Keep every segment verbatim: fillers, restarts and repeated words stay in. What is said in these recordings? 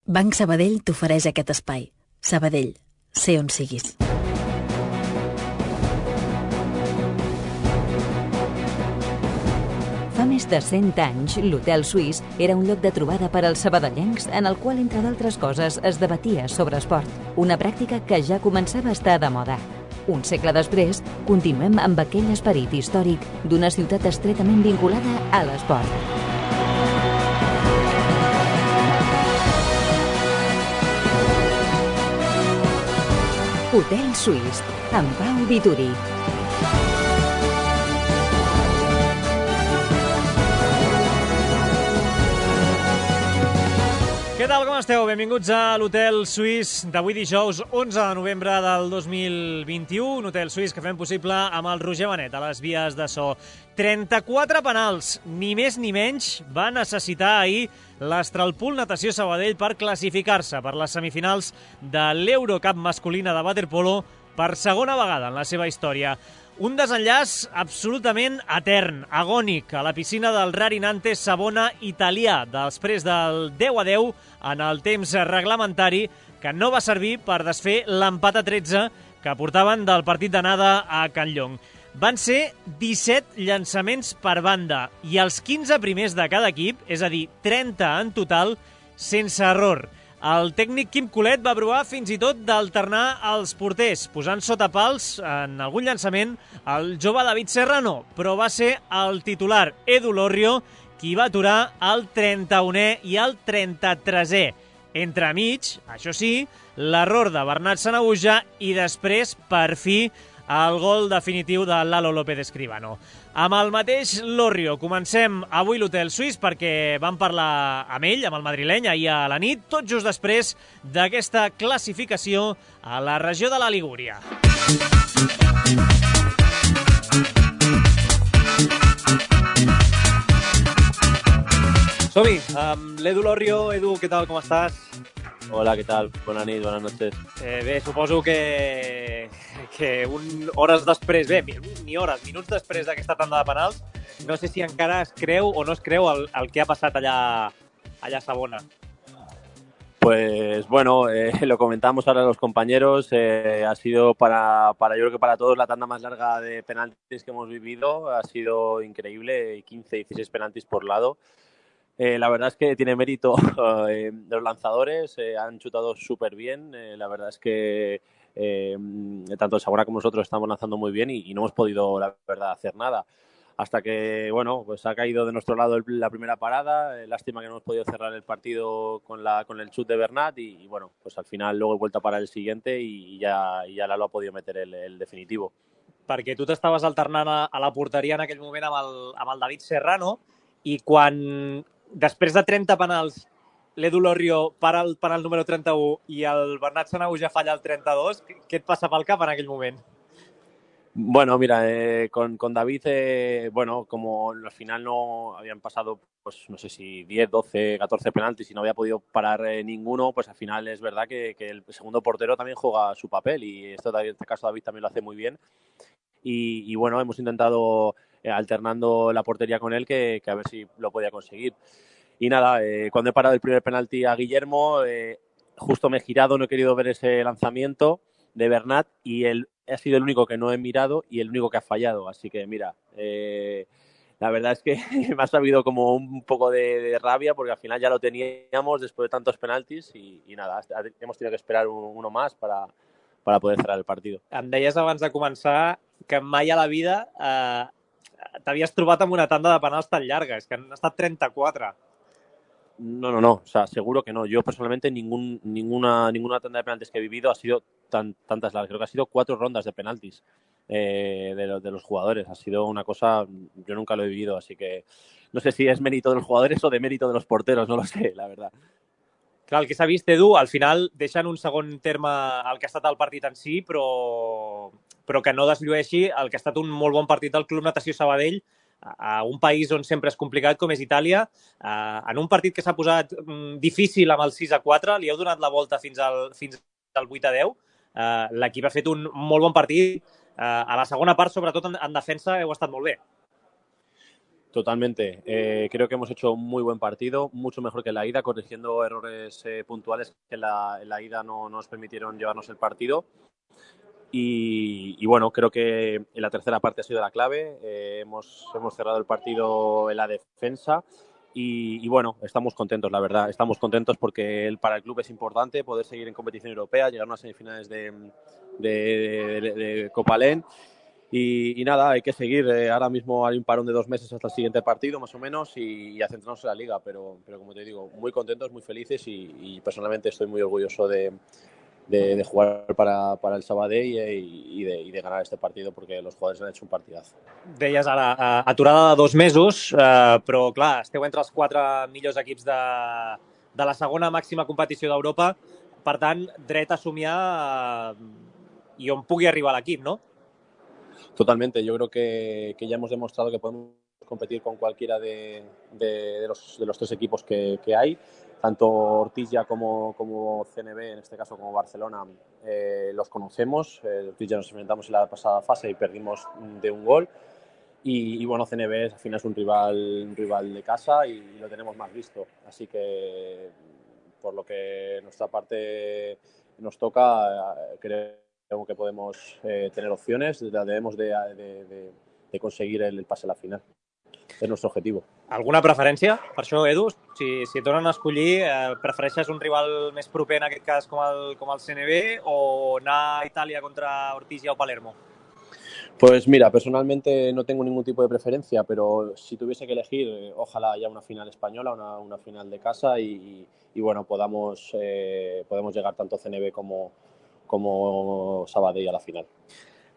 Banc Sabadell t'ofereix aquest espai. Sabadell, sé on siguis. Fa més de cent anys, l'Hotel Suís era un lloc de trobada per als sabadellencs en el qual, entre d'altres coses, es debatia sobre esport. Una pràctica que ja començava a estar de moda. Un segle després, continuem amb aquell esperit històric d'una ciutat estretament vinculada a l'esport. Hotel Suís, amb Pau Vituri. Què tal, com esteu? Benvinguts a l'Hotel Suís d'avui dijous, onze de novembre del dos mil vint-i-u. Un Hotel Suís que fem possible amb el Roger Benet a les vies de so. trenta-quatre penals, ni més ni menys, va necessitar ahir l'Astralpool Natació Sabadell per classificar-se per les semifinals de l'Eurocup masculina de waterpolo per segona vegada en la seva història. Un desenllaç absolutament etern, agònic, a la piscina del Rarinantes Savona italià, després del deu a deu en el temps reglamentari, que no va servir per desfer l'empat a tretze que portaven del partit d'anada a Can Llong. Van ser disset llançaments per banda i els quinze primers de cada equip, és a dir, trenta en total, sense error. El tècnic Quim Colet va provar fins i tot d'alternar els porters, posant sota pals en algun llançament el jove David Serrano, però va ser el titular Edu Lorrio qui va aturar el trenta-unè i el trenta-tresè. Entremig, això sí, l'error de Bernat Sanahuja i després, per fi, el gol definitiu de Lalo López Escribano. Amb el mateix Lorrio comencem avui l'Hotel Suís perquè vam parlar amb ell, amb el madrileny, ahir a la nit, tot just després d'aquesta classificació a la regió de la Ligúria. Som-hi, amb l'Edu Lorrio. Edu, què tal, com estàs? Hola, ¿qué tal? Buenas nit, buenas noches. Eh, bé, suposo que, que un, hores després, bé, ni hores, minuts després d'aquesta tanda de penals, no sé si encara es creu o no es creu el, el que ha passat allà, allà a Savona. Pues bueno, eh, lo comentamos ahora los compañeros, eh, ha sido para, para, yo creo que para todos la tanda más larga de penaltis que hemos vivido, ha sido increíble, quince, dieciséis penaltis por lado. Eh, la verdad es que tiene mérito eh, los lanzadores, eh, han chutado súper bien, eh, la verdad es que eh, tanto el Savona como nosotros estamos lanzando muy bien y, y no hemos podido, la verdad, hacer nada. Hasta que, bueno, pues ha caído de nuestro lado el, la primera parada, eh, lástima que no hemos podido cerrar el partido con, la, con el chut de Bernat y, y, bueno, pues al final luego he vuelto a parar el siguiente y, y ya, y ya Lalo ha podido meter el, el definitivo. Perquè tu t'estaves alternant a, a la porteria en aquell moment amb el, amb el David Serrano i quan després de trenta penals, l'Edu Lorrio para el penal número trenta-u i el Bernat Sanahuja falla el trenta-dos, què et passa pel cap en aquell moment? Bueno, mira, eh, con, con David, eh, bueno, como al final no habían pasado, pues no sé si diez, doce, catorce penaltis y no había podido parar eh, ninguno, pues al final es verdad que, que el segundo portero también juega su papel y esto en este caso David también lo hace muy bien. Y, y bueno, hemos intentado eh, alternando la portería con él que, que a ver si lo podía conseguir. Y nada, eh, cuando he parado el primer penalti a Guillermo, eh, justo me he girado, no he querido ver ese lanzamiento de Bernat y él ha sido el único que no he mirado y el único que ha fallado. Así que mira, eh, la verdad es que me ha sabido como un poco de, de rabia porque al final ya lo teníamos después de tantos penaltis y, y nada, hemos tenido que esperar un, uno más para, para poder cerrar el partido. Em deies abans de començar que mai a la vida eh, t'havies trobat amb una tanda de penals tan llarga, és que han estat trenta-quatre. No, no, no, o sea, seguro que no. Yo personalmente ningún, ninguna, ninguna tanda de penaltis que he vivido ha sido tan, tantas largas. Creo que ha sido cuatro rondas de penaltis eh, de, de los jugadores. Ha sido una cosa, yo nunca lo he vivido, así que no sé si es mérito de los jugadores o de mérito de los porteros, no lo sé, la verdad. Clar, el que s'ha vist, Edu, al final deixen un segon terme el que ha estat el partit en si, però, però que no desllueixi el que ha estat un molt bon partit del Club Natació Sabadell a un país on sempre és complicat com és Itàlia, en un partit que s'ha posat difícil amb el sis a quatre, li heu donat la volta fins al, fins al vuit a deu, l'equip ha fet un molt bon partit, a la segona part, sobretot en, en defensa, heu estat molt bé. Totalmente. Eh, creo que hemos hecho un muy buen partido, mucho mejor que en la ida, corrigiendo errores eh, puntuales que en la, en la ida no, no nos permitieron llevarnos el partido. Y, y bueno, creo que en la tercera parte ha sido la clave. Eh, hemos, hemos cerrado el partido en la defensa y, y bueno, estamos contentos, la verdad. Estamos contentos porque el, para el club es importante poder seguir en competición europea, llegar a unas semifinales de, de, de, de Copa Len. Y, y nada, hay que seguir. Eh, ahora mismo hay un parón de dos meses hasta el siguiente partido, más o menos, y, y a centrarnos en la liga. Pero, pero como te digo, muy contentos, muy felices y, y personalmente estoy muy orgulloso de, de, de jugar para, para el Sabadell i, i, de, i de ganar este partido porque los jugadores han hecho un partidazo. Deies ara, uh, aturada de dos mesos, uh, però clar, esteu entre els quatre millors equips de, de la segona màxima competició d'Europa, per tant, dret a somiar uh, i on pugui arribar l'equip, no? Totalmente, yo creo que, que ya hemos demostrado que podemos competir con cualquiera de, de, de, los, de los tres equipos que, que hay, tanto Ortilla como, como C N B, en este caso como Barcelona, eh, los conocemos. Eh, Ortilla nos enfrentamos en la pasada fase y perdimos de un gol. Y, y bueno, C N B al final es un rival, un rival de casa y lo tenemos más visto. Así que, por lo que nuestra parte nos toca, creo que podemos eh, tener opciones, debemos de, de, de, de conseguir el, el pase a la final. És el nostre objectiu. Alguna preferència per això, Edu? Si, si et donen a escollir, eh, prefereixes un rival més proper, en aquest cas, com el, com el C N B, o anar a Itàlia contra Ortija o Palermo? Pues mira, personalmente no tengo ningún tipo de preferencia, pero si tuviese que elegir, eh, ojalá haya una final española, una, una final de casa y, y, y bueno, podamos, eh, podemos llegar tanto C N B como com Sabadell a la final.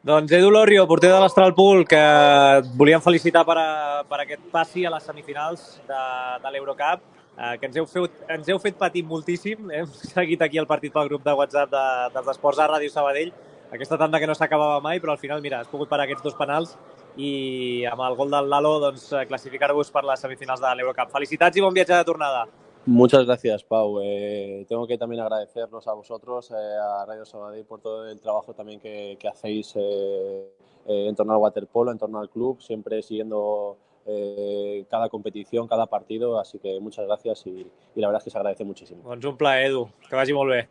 Doncs Edu Lorrio, porter de l'Astralpool, que et volíem felicitar per, a, per aquest passi a les semifinals de, de l'Eurocup, eh, que ens heu, fet, ens heu fet patir moltíssim. Hem seguit aquí el partit pel grup de WhatsApp de, dels Esports a Ràdio Sabadell, aquesta tanda que no s'acabava mai, però al final, mira, has pogut parar aquests dos penals i amb el gol del Lalo doncs, classificar-vos per les semifinals de l'Eurocup. Felicitats i bon viatge de tornada. Muchas gracias, Pau. Eh, tengo que también agradecernos a vosotros, eh, a Radio Sabadell, por todo el trabajo también que, que hacéis eh, eh, en torno al waterpolo, en torno al club, siempre siguiendo eh, cada competición, cada partido. Así que muchas gracias y, y la verdad es que se agradece muchísimo. Doncs un plaer, Edu. Que vagi molt bé.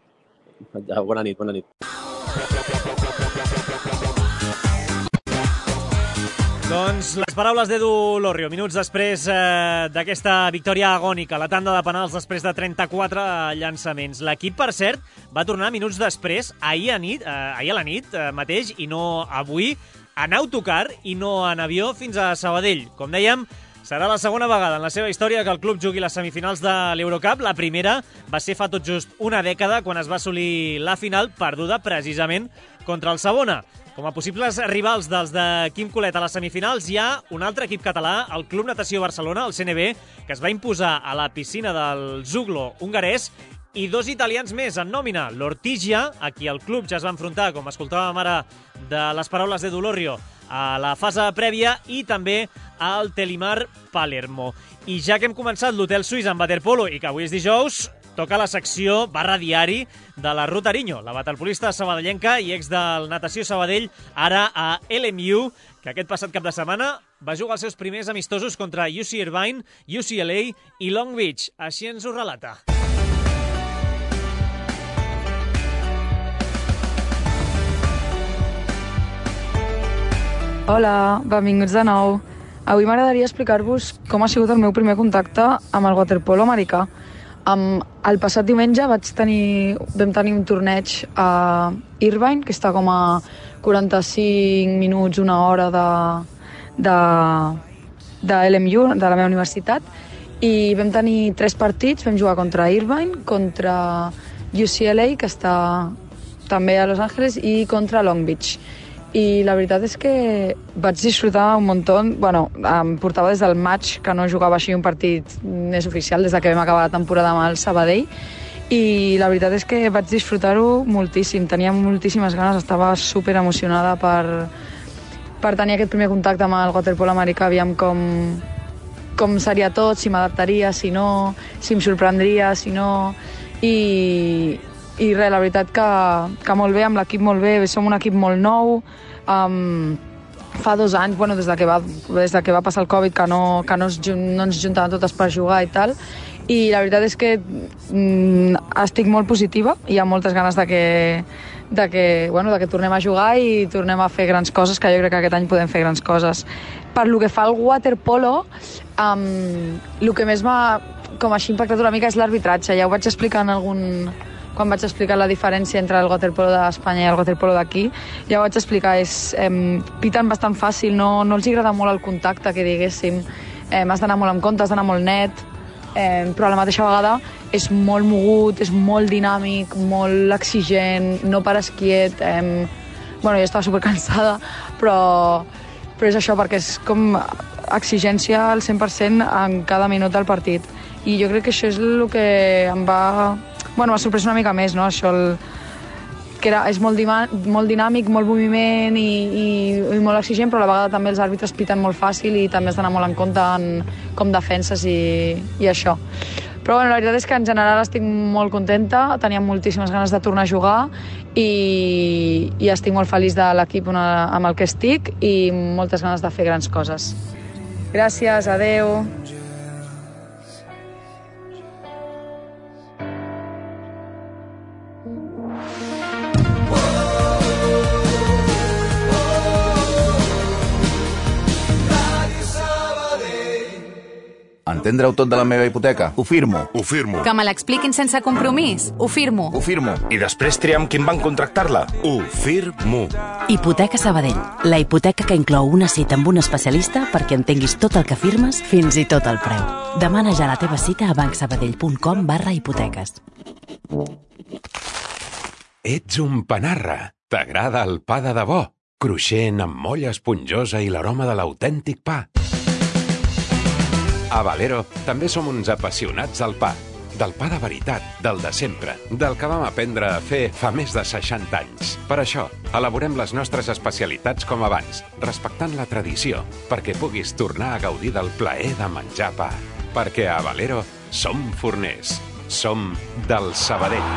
Ja, bona nit, bona nit. Doncs les paraules d'Edu Lorrio, minuts després eh, d'aquesta victòria agònica, la tanda de penals després de trenta-quatre llançaments. L'equip, per cert, va tornar minuts després, ahir a, nit, eh, ahir a la nit eh, mateix, i no avui, en autocar i no en avió fins a Sabadell. Com dèiem, serà la segona vegada en la seva història que el club jugui les semifinals de l'Eurocup. La primera va ser fa tot just una dècada, quan es va assolir la final, perduda precisament contra el Savona. Com a possibles rivals dels de Quim Colet a les semifinals hi ha un altre equip català, el Club Natació Barcelona, el C N B, que es va imposar a la piscina del Zuglo hongarès, i dos italians més en nòmina, l'Ortija, a qui el club ja es va enfrontar, com escoltàvem ara de les paraules d'Edu Lorrio, a la fase prèvia, i també al Telimar Palermo. I ja que hem començat l'Hotel Suís en waterpolo i que avui és dijous, toca la secció barra diari de la Ruth Ariño, la waterpolista sabadellenca i ex del Natació Sabadell, ara a L M U, que aquest passat cap de setmana va jugar els seus primers amistosos contra U C Irvine, U C L A i Long Beach. Així ens ho relata. Hola, benvinguts de nou. Avui m'agradaria explicar-vos com ha sigut el meu primer contacte amb el waterpolo americà. Um, el passat diumenge vaig tenir, vam tenir un torneig a Irvine, que està com a quaranta-cinc minuts, una hora de, de, de L M U, de la meva universitat, i vam tenir tres partits. Vam jugar contra Irvine, contra U C L A, que està també a Los Angeles, i contra Long Beach. I la veritat és que vaig disfrutar un muntó. Bueno, em portava des del maig que no jugava així un partit més oficial, des que vam acabar la temporada amb el Sabadell, i la veritat és que vaig disfrutar-ho moltíssim. Tenia moltíssimes ganes, estava super emocionada per, per tenir aquest primer contacte amb el waterpolo americà, aviam com, com seria tot, si m'adaptaria, si no, si em sorprendria, si no... I, i res, la veritat que, que molt bé, amb l'equip molt bé, som un equip molt nou, um, fa dos anys, bueno, des de que va, des de que va passar el Covid, que no, que no, es, no ens juntaven totes per jugar i tal, i la veritat és que mm, estic molt positiva, hi ha moltes ganes de que, de que, bueno, de que tornem a jugar i tornem a fer grans coses, que jo crec que aquest any podem fer grans coses. Per lo que fa al waterpolo, um, el que més m'ha com així impactat una mica és l'arbitratge. Ja ho vaig explicar en algun... quan vaig explicar la diferència entre el waterpolo d'Espanya i el waterpolo d'aquí, ja ho vaig explicar, és, eh, piten bastant fàcil, no, no els agrada molt el contacte, que diguéssim, eh, has d'anar molt amb compte, has d'anar molt net, eh, però a la mateixa vegada és molt mogut, és molt dinàmic, molt exigent, no pares quiet, eh, bueno, jo estava supercansada, però, però és això, perquè és com exigència al cent per cent en cada minut del partit. I jo crec que això és el que em va... Bueno, m'ha sorprès una mica més, no? Això, el, que era, és molt, dima, molt dinàmic, molt moviment i, i, i molt exigent, però a la vegada també els àrbitres piten molt fàcil i també has d'anar molt en compte en com defenses i, i això. Però bueno, la veritat és que en general estic molt contenta, tenia moltíssimes ganes de tornar a jugar i, i estic molt feliç de l'equip amb el que estic i moltes ganes de fer grans coses. Gràcies, adeu. Entendre-ho tot de la meva hipoteca? Ho firmo. Ho firmo. Que me l'expliquin sense compromís? Ho firmo. Ho firmo. I després triam quin banc contractar-la? Ho firmo. Hipoteca Sabadell. La hipoteca que inclou una cita amb un especialista perquè entenguis tot el que firmes, fins i tot el preu. Demana ja la teva cita a bancsabadell.com barra hipoteques. Ets un panarra. T'agrada el pa de debò. Cruixent, amb molla esponjosa i l'aroma de l'autèntic pa. A Valero també som uns apassionats del pa. Del pa de veritat, del de sempre, del que vam aprendre a fer fa més de seixanta anys. Per això, elaborem les nostres especialitats com abans, respectant la tradició, perquè puguis tornar a gaudir del plaer de menjar pa. Perquè a Valero som forners. Som del Sabadell.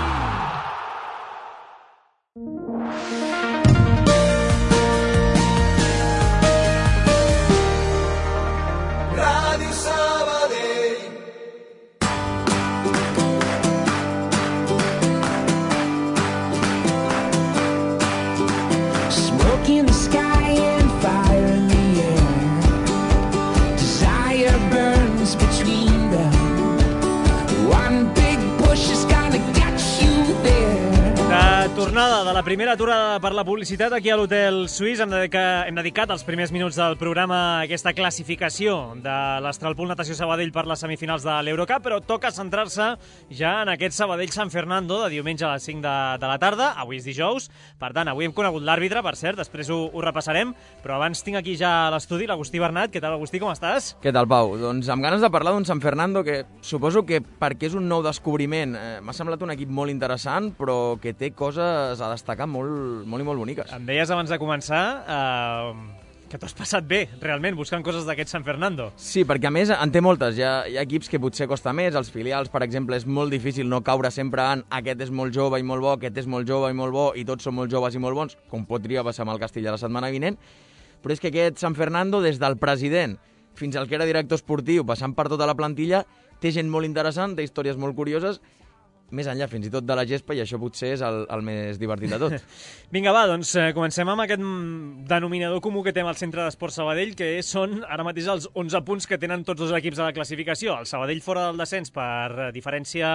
Tornada de la primera aturada per la publicitat aquí a l'Hotel Suís. Hem dedicat, hem dedicat els primers minuts del programa a aquesta classificació de l'Astralpool Natació Sabadell per les semifinals de l'Eurocup, però toca centrar-se ja en aquest Sabadell-San Fernando de diumenge a les cinc de, de la tarda. Avui és dijous, per tant, avui hem conegut l'àrbitre, per cert, després ho, ho repassarem, però abans tinc aquí ja a l'estudi l'Agustí Bernat. Què tal, Agustí, com estàs? Què tal, Pau? Doncs amb ganes de parlar d'un San Fernando que suposo que perquè és un nou descobriment eh, m'ha semblat un equip molt interessant, però que té coses a destacar molt, molt i molt boniques. Em deies abans de començar eh, que t'ho has passat bé, realment, buscant coses d'aquest San Fernando. Sí, perquè a més en té moltes. Hi ha, hi ha equips que potser costa més, els filials, per exemple, és molt difícil no caure sempre en aquest és molt jove i molt bo, aquest és molt jove i molt bo, i tots són molt joves i molt bons, com podria passar amb el Castilla la setmana vinent, però és que aquest San Fernando, des del president fins al que era director esportiu, passant per tota la plantilla, té gent molt interessant, té històries molt curioses, més enllà fins i tot de la gespa, i això potser és el, el més divertit de tot. Vinga, va, doncs eh, comencem amb aquest denominador comú que té al Centre d'Esport Sabadell, que són ara mateix els onze punts que tenen tots els equips de la classificació. El Sabadell fora del descens per diferència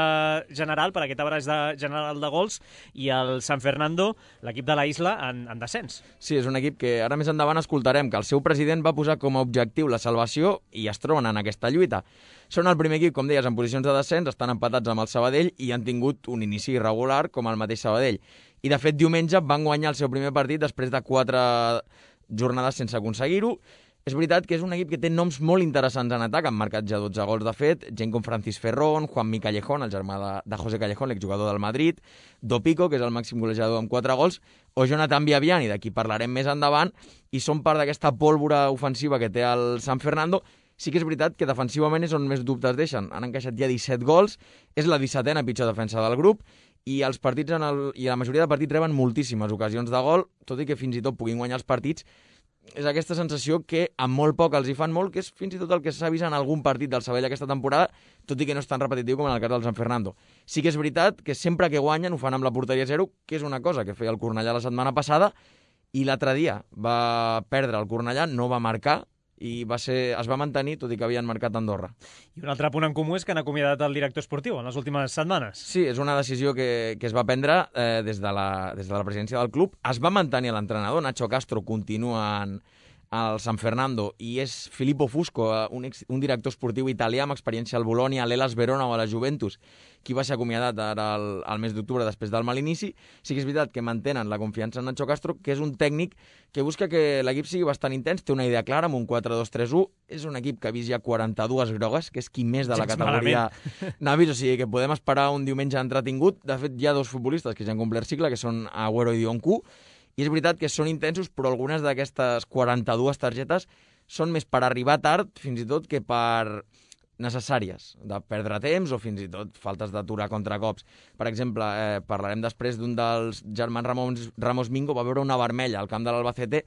general, per aquest abraç de, general de gols, i el San Fernando, l'equip de la Isla, en, en descens. Sí, és un equip que ara més endavant escoltarem que el seu president va posar com a objectiu la salvació i es troben en aquesta lluita. Són el primer equip, com deies, en posicions de descens, estan empatats amb el Sabadell i han tingut un inici irregular com el mateix Sabadell. I, de fet, diumenge van guanyar el seu primer partit després de quatre jornades sense aconseguir-ho. És veritat que és un equip que té noms molt interessants en atac, han marcat ja dotze gols, de fet, gent com Francis Ferrón, Juanmi Callejón, el germà de, de José Callejón, l'exjugador del Madrid, Dopico, que és el màxim golejador amb quatre gols, o Jonathan Viaviani, d'aquí parlarem més endavant, i són part d'aquesta pólvora ofensiva que té el San Fernando. Sí que és veritat que defensivament és on més dubtes deixen. Han encaixat ja disset gols, és la dissetena pitjor defensa del grup, i els partits en el, i la majoria de partits reben moltíssimes ocasions de gol, tot i que fins i tot puguin guanyar els partits, és aquesta sensació que amb molt poc els hi fan molt, que és fins i tot el que s'ha vist en algun partit del Sabadell aquesta temporada, tot i que no és tan repetitiu com en el cas del San Fernando. Sí que és veritat que sempre que guanyen ho fan amb la porteria zero, que és una cosa que feia el Cornellà la setmana passada, i l'altre dia va perdre el Cornellà, no va marcar, i va ser, es va mantenir, tot i que havien marcat Andorra. I un altre punt en comú és que han acomiadat el director esportiu en les últimes setmanes. Sí, és una decisió que, que es va prendre eh, des, de la, des de la presidència del club. Es va mantenir l'entrenador, Nacho Castro continua en, al San Fernando, i és Filippo Fusco, un, ex, un director esportiu italià amb experiència al Bologna, a l'Hellas Verona o a la Juventus, qui va ser acomiadat ara al, al mes d'octubre després del mal inici. Sí que és veritat que mantenen la confiança en Nacho Castro, que és un tècnic que busca que l'equip sigui bastant intens, té una idea clara amb un quatre dos tres u, és un equip que ha vist ja quaranta-dues grogues, que és qui més de la categoria n'ha vist, o sigui que podem esperar un diumenge entretingut. De fet, hi ha dos futbolistes que ja han complert cicle, que són Agüero i Dioncu, i és veritat que són intensos, però algunes d'aquestes quaranta-dues targetes són més per arribar tard, fins i tot, que per necessàries, de perdre temps o fins i tot faltes d'aturar contracops. Per exemple, eh, parlarem després d'un dels germans Ramos, Ramos Mingo, va veure una vermella al camp de l'Albacete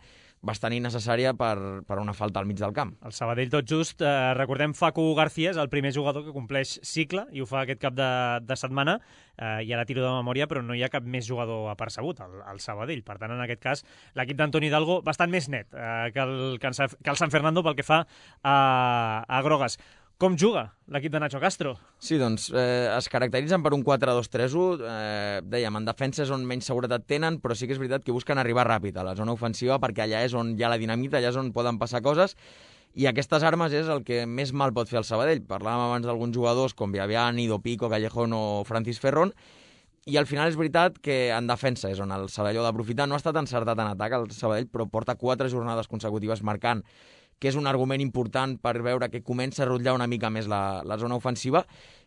bastant innecessària per, per una falta al mig del camp. El Sabadell tot just, eh, recordem, Facu García és el primer jugador que compleix cicle i ho fa aquest cap de, de setmana, eh, i ara tiro de memòria, però no hi ha cap més jugador apercebut al, al Sabadell. Per tant, en aquest cas, l'equip d'Antoni Hidalgo bastant més net eh, que, el, que, el, que el San Fernando pel que fa a, a grogues. Com juga l'equip de Nacho Castro? Sí, doncs eh, es caracteritzen per un quatre dos tres u. Eh, dèiem, en defensa és on menys seguretat tenen, però sí que és veritat que busquen arribar ràpid a la zona ofensiva perquè allà és on hi ha la dinamita, allà és on poden passar coses, i aquestes armes és el que més mal pot fer el Sabadell. Parlàvem abans d'alguns jugadors com Viaviani, Dopico, Callejón o Francis Ferrón, i al final és veritat que en defensa és on el Sabadell ha d'aprofitar. No ha estat encertat en atac el Sabadell, però porta quatre jornades consecutives marcant, que és un argument important per veure que comença a rotllar una mica més la, la zona ofensiva,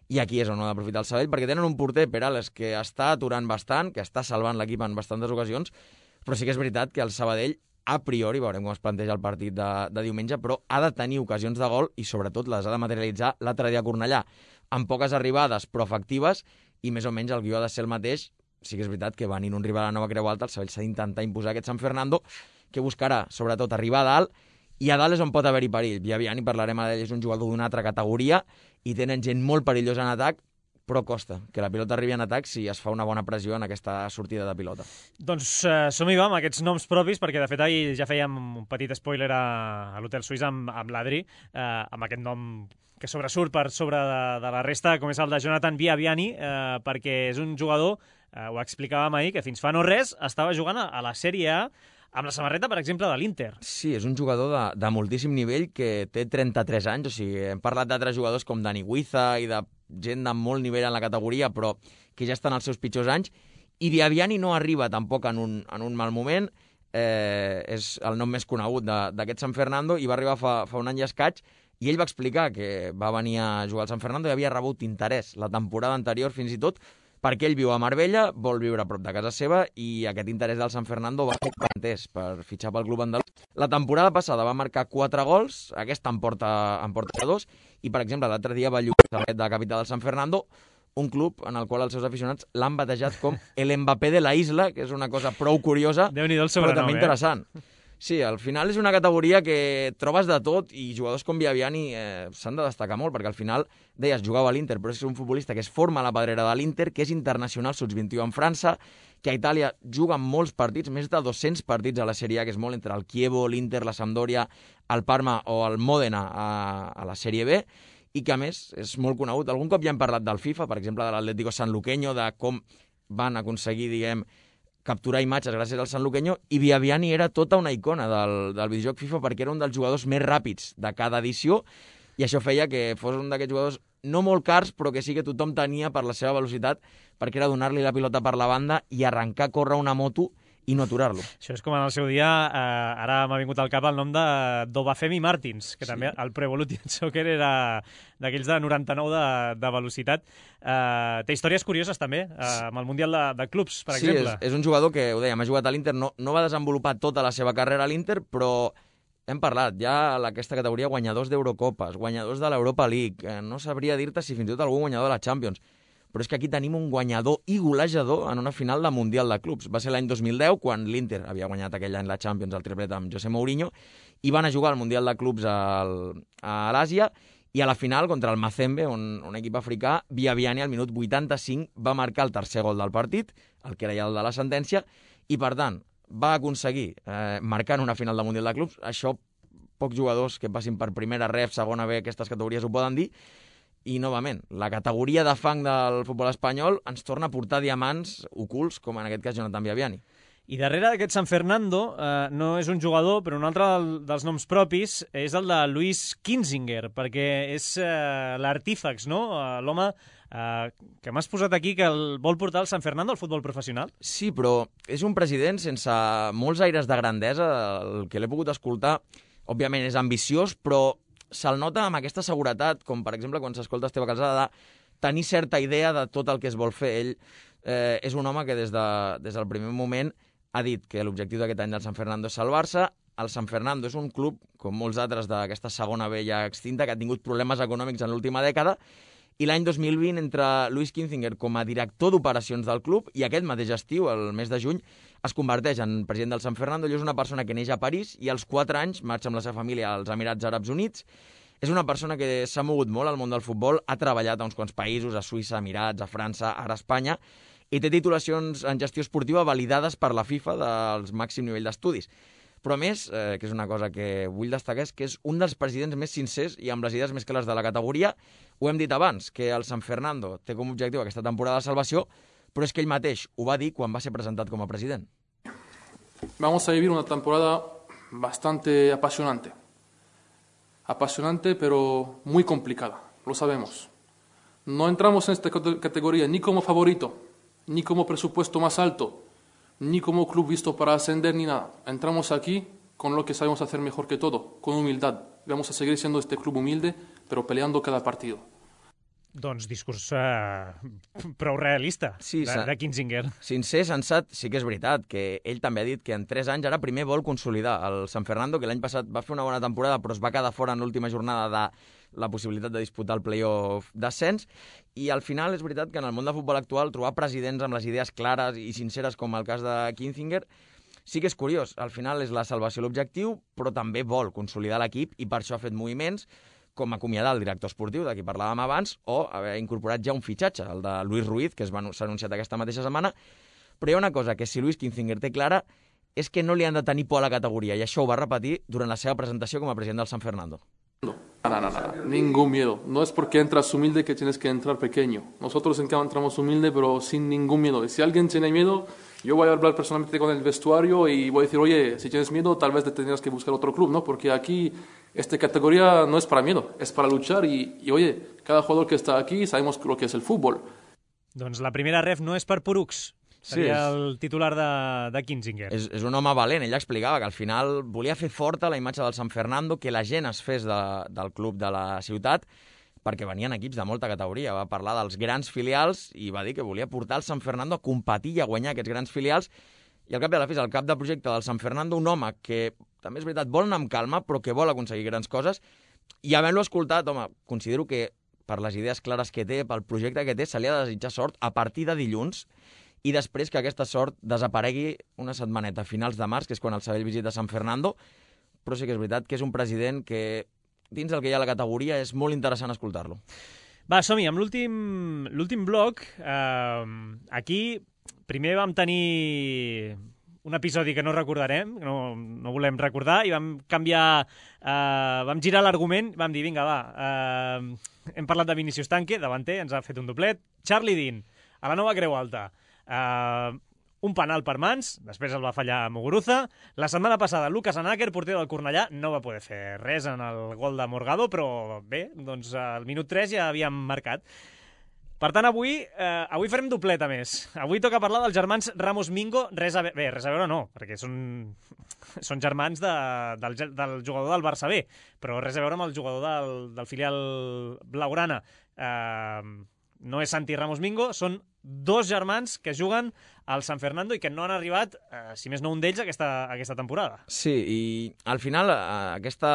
i aquí és on ha d'aprofitar el Sabadell, perquè tenen un porter, Perales, que està aturant bastant, que està salvant l'equip en bastantes ocasions, però sí que és veritat que el Sabadell, a priori, veurem com es planteja el partit de, de diumenge, però ha de tenir ocasions de gol i sobretot les ha de materialitzar l'altre dia a Cornellà, amb poques arribades però efectives, i més o menys el guió ha de ser el mateix. Sí que és veritat que venint un rival a la Nova Creu Alta, el Sabadell s'ha d'intentar imposar aquest San Fernando, que buscarà sobretot arribar a dalt, i a dalt és on pot haver-hi perill. Viaviani, parlarem d'ell, és un jugador d'una altra categoria i tenen gent molt perillosa en atac, però costa que la pilota arribi en atac si es fa una bona pressió en aquesta sortida de pilota. Doncs eh, som-hi va amb aquests noms propis, perquè de fet ahir ja fèiem un petit spoiler a, a l'Hotel Suís amb, amb l'Adri, eh, amb aquest nom que sobresurt per sobre de, de la resta, com és el de Jonathan Viaviani, eh, perquè és un jugador, eh, ho explicàvem ahir, que fins fa no res estava jugant a, a la Sèrie A, amb la samarreta, per exemple, de l'Inter. Sí, és un jugador de, de moltíssim nivell que té trenta-tres anys, o sigui, hem parlat d'altres jugadors com Dani Guiza i de gent de molt nivell en la categoria, però que ja estan als seus pitjors anys, i Viaviani no arriba tampoc en un, en un mal moment, eh, és el nom més conegut d'aquest San Fernando, i va arribar fa, fa un any i escaig, i ell va explicar que va venir a jugar al San Fernando i havia rebut interès la temporada anterior fins i tot, perquè ell viu a Marbella, vol viure a prop de casa seva, i aquest interès del San Fernando va fer entès per fitxar pel club andalús. La temporada passada va marcar quatre gols, aquesta en porta, en porta dos, i per exemple l'altre dia va lluir de la capital del San Fernando, un club en el qual els seus aficionats l'han batejat com el Mbappé de la isla, que és una cosa prou curiosa, però també interessant. Eh? Sí, al final és una categoria que trobes de tot, i jugadors com Viaviani eh, s'han de destacar molt, perquè al final, deies, jugava a l'Inter, però és un futbolista que es forma a la pedrera de l'Inter, que és internacional sub vint i u en França, que a Itàlia juga molts partits, més de dos-cents partits a la Sèrie A, que és molt entre el Chievo, l'Inter, la Sampdoria, el Parma o el Mòdena a, a la Sèrie B, i que a més és molt conegut. Algun cop ja hem parlat del FIFA, per exemple de l'Atlético Sanluqueño, de com van aconseguir, diguem, capturar imatges gràcies al Sanluqueño, i Viaviani era tota una icona del, del videojoc FIFA perquè era un dels jugadors més ràpids de cada edició, i això feia que fos un d'aquests jugadors no molt cars, però que sí que tothom tenia per la seva velocitat, perquè era donar-li la pilota per la banda i arrencar a córrer una moto i no aturar-lo. Això és com en el seu dia, eh, ara m'ha vingut al cap el nom de Dobafemi Martins, que sí, també el Pro Evolution Soccer era d'aquells de noranta-nou de, de velocitat. Eh, té històries curioses també, eh, amb el Mundial de, de Clubs, per sí, exemple. Sí, és, és un jugador que, ho dèiem, ha jugat a l'Inter, no, no va desenvolupar tota la seva carrera a l'Inter, però hem parlat, ja a aquesta categoria guanyadors d'Eurocopes, guanyadors de l'Europa League, eh, no sabria dir-te si fins i tot algun guanyador de la Champions, però és que aquí tenim un guanyador i golejador en una final de Mundial de Clubs. Va ser l'any dos mil deu, quan l'Inter havia guanyat aquell any la Champions, el triplet amb José Mourinho, i van a jugar al Mundial de Clubs al, a l'Àsia, i a la final, contra el Mazembe, un, un equip africà, Biabiani al minut vuitanta-cinc va marcar el tercer gol del partit, el que era ja el de la sentència, i per tant va aconseguir eh, marcar en una final de Mundial de Clubs. Això pocs jugadors que passin per primera, ref, segona B, aquestes categories ho poden dir, i novament, la categoria de fang del futbol espanyol ens torna a portar diamants ocults, com en aquest cas Jonathan Biabiani. I darrere d'aquest San Fernando eh, no és un jugador, però un altre del, dels noms propis és el de Luis Kinzinger, perquè és eh, l'artífex, no? Eh, l'home eh, que m'has posat aquí que el vol portar el San Fernando al futbol professional. Sí, però és un president sense molts aires de grandesa. El que l'he pogut escoltar, òbviament és ambiciós, però se'l nota amb aquesta seguretat, com per exemple quan s'escolta Esteve Calzada, de tenir certa idea de tot el que es vol fer. Ell eh, és un home que des, de, des del primer moment ha dit que l'objectiu d'aquest any del San Fernando és salvar-se. El San Fernando és un club, com molts altres d'aquesta segona B ja extinta, que ha tingut problemes econòmics en l'última dècada, i l'any dos mil vint, entre Luis Kinzinger com a director d'operacions del club i aquest mateix estiu, el mes de juny, es converteix en president del San Fernando. Ell és una persona que neix a París i als quatre anys marxa amb la seva família als Emirats Àrabs Units. És una persona que s'ha mogut molt al món del futbol, ha treballat a uns quants països, a Suïssa, Emirats, a França, ara a Espanya, i té titulacions en gestió esportiva validades per la FIFA del màxim nivell d'estudis. Però a més, eh, que és una cosa que vull destacar, és que és un dels presidents més sincers i amb les idees més clares de la categoria. Ho hem dit abans, que el San Fernando té com a objectiu aquesta temporada de salvació, però és que ell mateix ho va dir quan va ser presentat com a president. Vamos a vivir una temporada bastante apasionante. Apasionante, pero muy complicada, lo sabemos. No entramos en esta categoría ni como favorito, ni como presupuesto más alto, ni como club visto para ascender, ni nada. Entramos aquí con lo que sabemos hacer mejor que todo, con humildad. Vamos a seguir siendo este club humilde, pero peleando cada partido. Doncs discurs eh, prou realista, sí, de, de Kinzinger. Sincer, sensat, sí que és veritat, que ell també ha dit que en tres anys ara primer vol consolidar el San Fernando, que l'any passat va fer una bona temporada, però es va quedar fora en l'última jornada de la possibilitat de disputar el play-off d'ascens, i al final és veritat que en el món del futbol actual trobar presidents amb les idees clares i sinceres com el cas de Kinzinger sí que és curiós. Al final és la salvació l'objectiu, però també vol consolidar l'equip i per això ha fet moviments com acomiadar el director esportiu, de qui parlàvem abans, o haver incorporat ja un fitxatge, el de Luis Ruiz, que s'ha anunciat aquesta mateixa setmana. Però hi ha una cosa que si Luis Kinzinger té clara és que no li han de tenir por a la categoria, i això ho va repetir durant la seva presentació com a president del San Fernando. No, no, no, no, ningún miedo. No es porque entras humilde que tienes que entrar pequeño. Nosotros en cada entramos humilde, pero sin ningún miedo. Y si alguien tiene miedo, yo voy a hablar personalmente con el vestuario y voy a decir, oye, si tienes miedo, tal vez te tendrías que buscar otro club, ¿no? Porque aquí esta categoría no es para miedo, es para luchar y, y oye, cada jugador que está aquí sabemos lo que es el fútbol. Doncs la primera ref no és per porucs. Seria sí, el titular de, de Kinzinger. És, és un home valent. Ell explicava que al final volia fer forta la imatge del San Fernando, que la gent es fes de, del club de la ciutat, perquè venien equips de molta categoria. Va parlar dels grans filials i va dir que volia portar el San Fernando a competir i a guanyar aquests grans filials. I al cap de la fi, el cap de projecte del San Fernando, un home que, també és veritat, vol anar amb calma, però que vol aconseguir grans coses. I havent-lo escoltat, home, considero que per les idees clares que té, pel projecte que té, se li ha de desitjar sort a partir de dilluns, i després que aquesta sort desaparegui una setmaneta a finals de març, que és quan el Sabadell visita San Fernando, però sí que és veritat que és un president que, dins del que hi ha a la categoria, és molt interessant escoltar-lo. Va, som-hi, amb l'últim bloc. Eh, aquí primer vam tenir un episodi que no recordarem, no, no volem recordar, i vam canviar, eh, vam girar l'argument, vam dir, vinga, va, eh, hem parlat de Vinicius Tanque, davanter, ens ha fet un doblet, Charlie Dean, a la nova Creu Alta, Uh, un penal per mans, després el va fallar Muguruza. La setmana passada Lucas Anaker, porter del Cornellà, no va poder fer res en el gol de Morgado, però bé, doncs al minut tres ja havíem marcat. Per tant, avui eh, avui farem dobleta més. Avui toca parlar dels germans Ramos Mingo. Res a, bé, res a veure no, perquè són, són germans de, del, del jugador del Barça B, però res a veure amb el jugador del, del filial blaugrana. Eh, no és Santi Ramos Mingo, són dos germans que juguen al San Fernando i que no han arribat, eh, si més no un d'ells, aquesta, aquesta temporada. Sí, i al final eh, aquesta,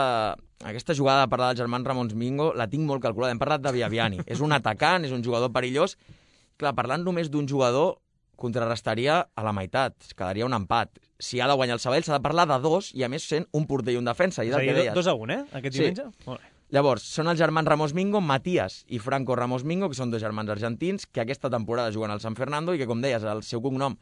aquesta jugada de parlar del germans Ramos Mingo la tinc molt calculada. Hem parlat de Biabiani. És un atacant, és un jugador perillós, clar, parlant només d'un jugador, contrarrestaria a la meitat, es quedaria un empat. Si ha de guanyar el Sabadell, s'ha de parlar de dos, i a més sent un porter i un defensa. I és a dir, dos a un, eh, aquest diumenge? Sí. Molt bé. Llavors, són els germans Ramos Mingo, Matías i Franco Ramos Mingo, que són dos germans argentins, que aquesta temporada juguen al San Fernando i que, com deies, el seu cognom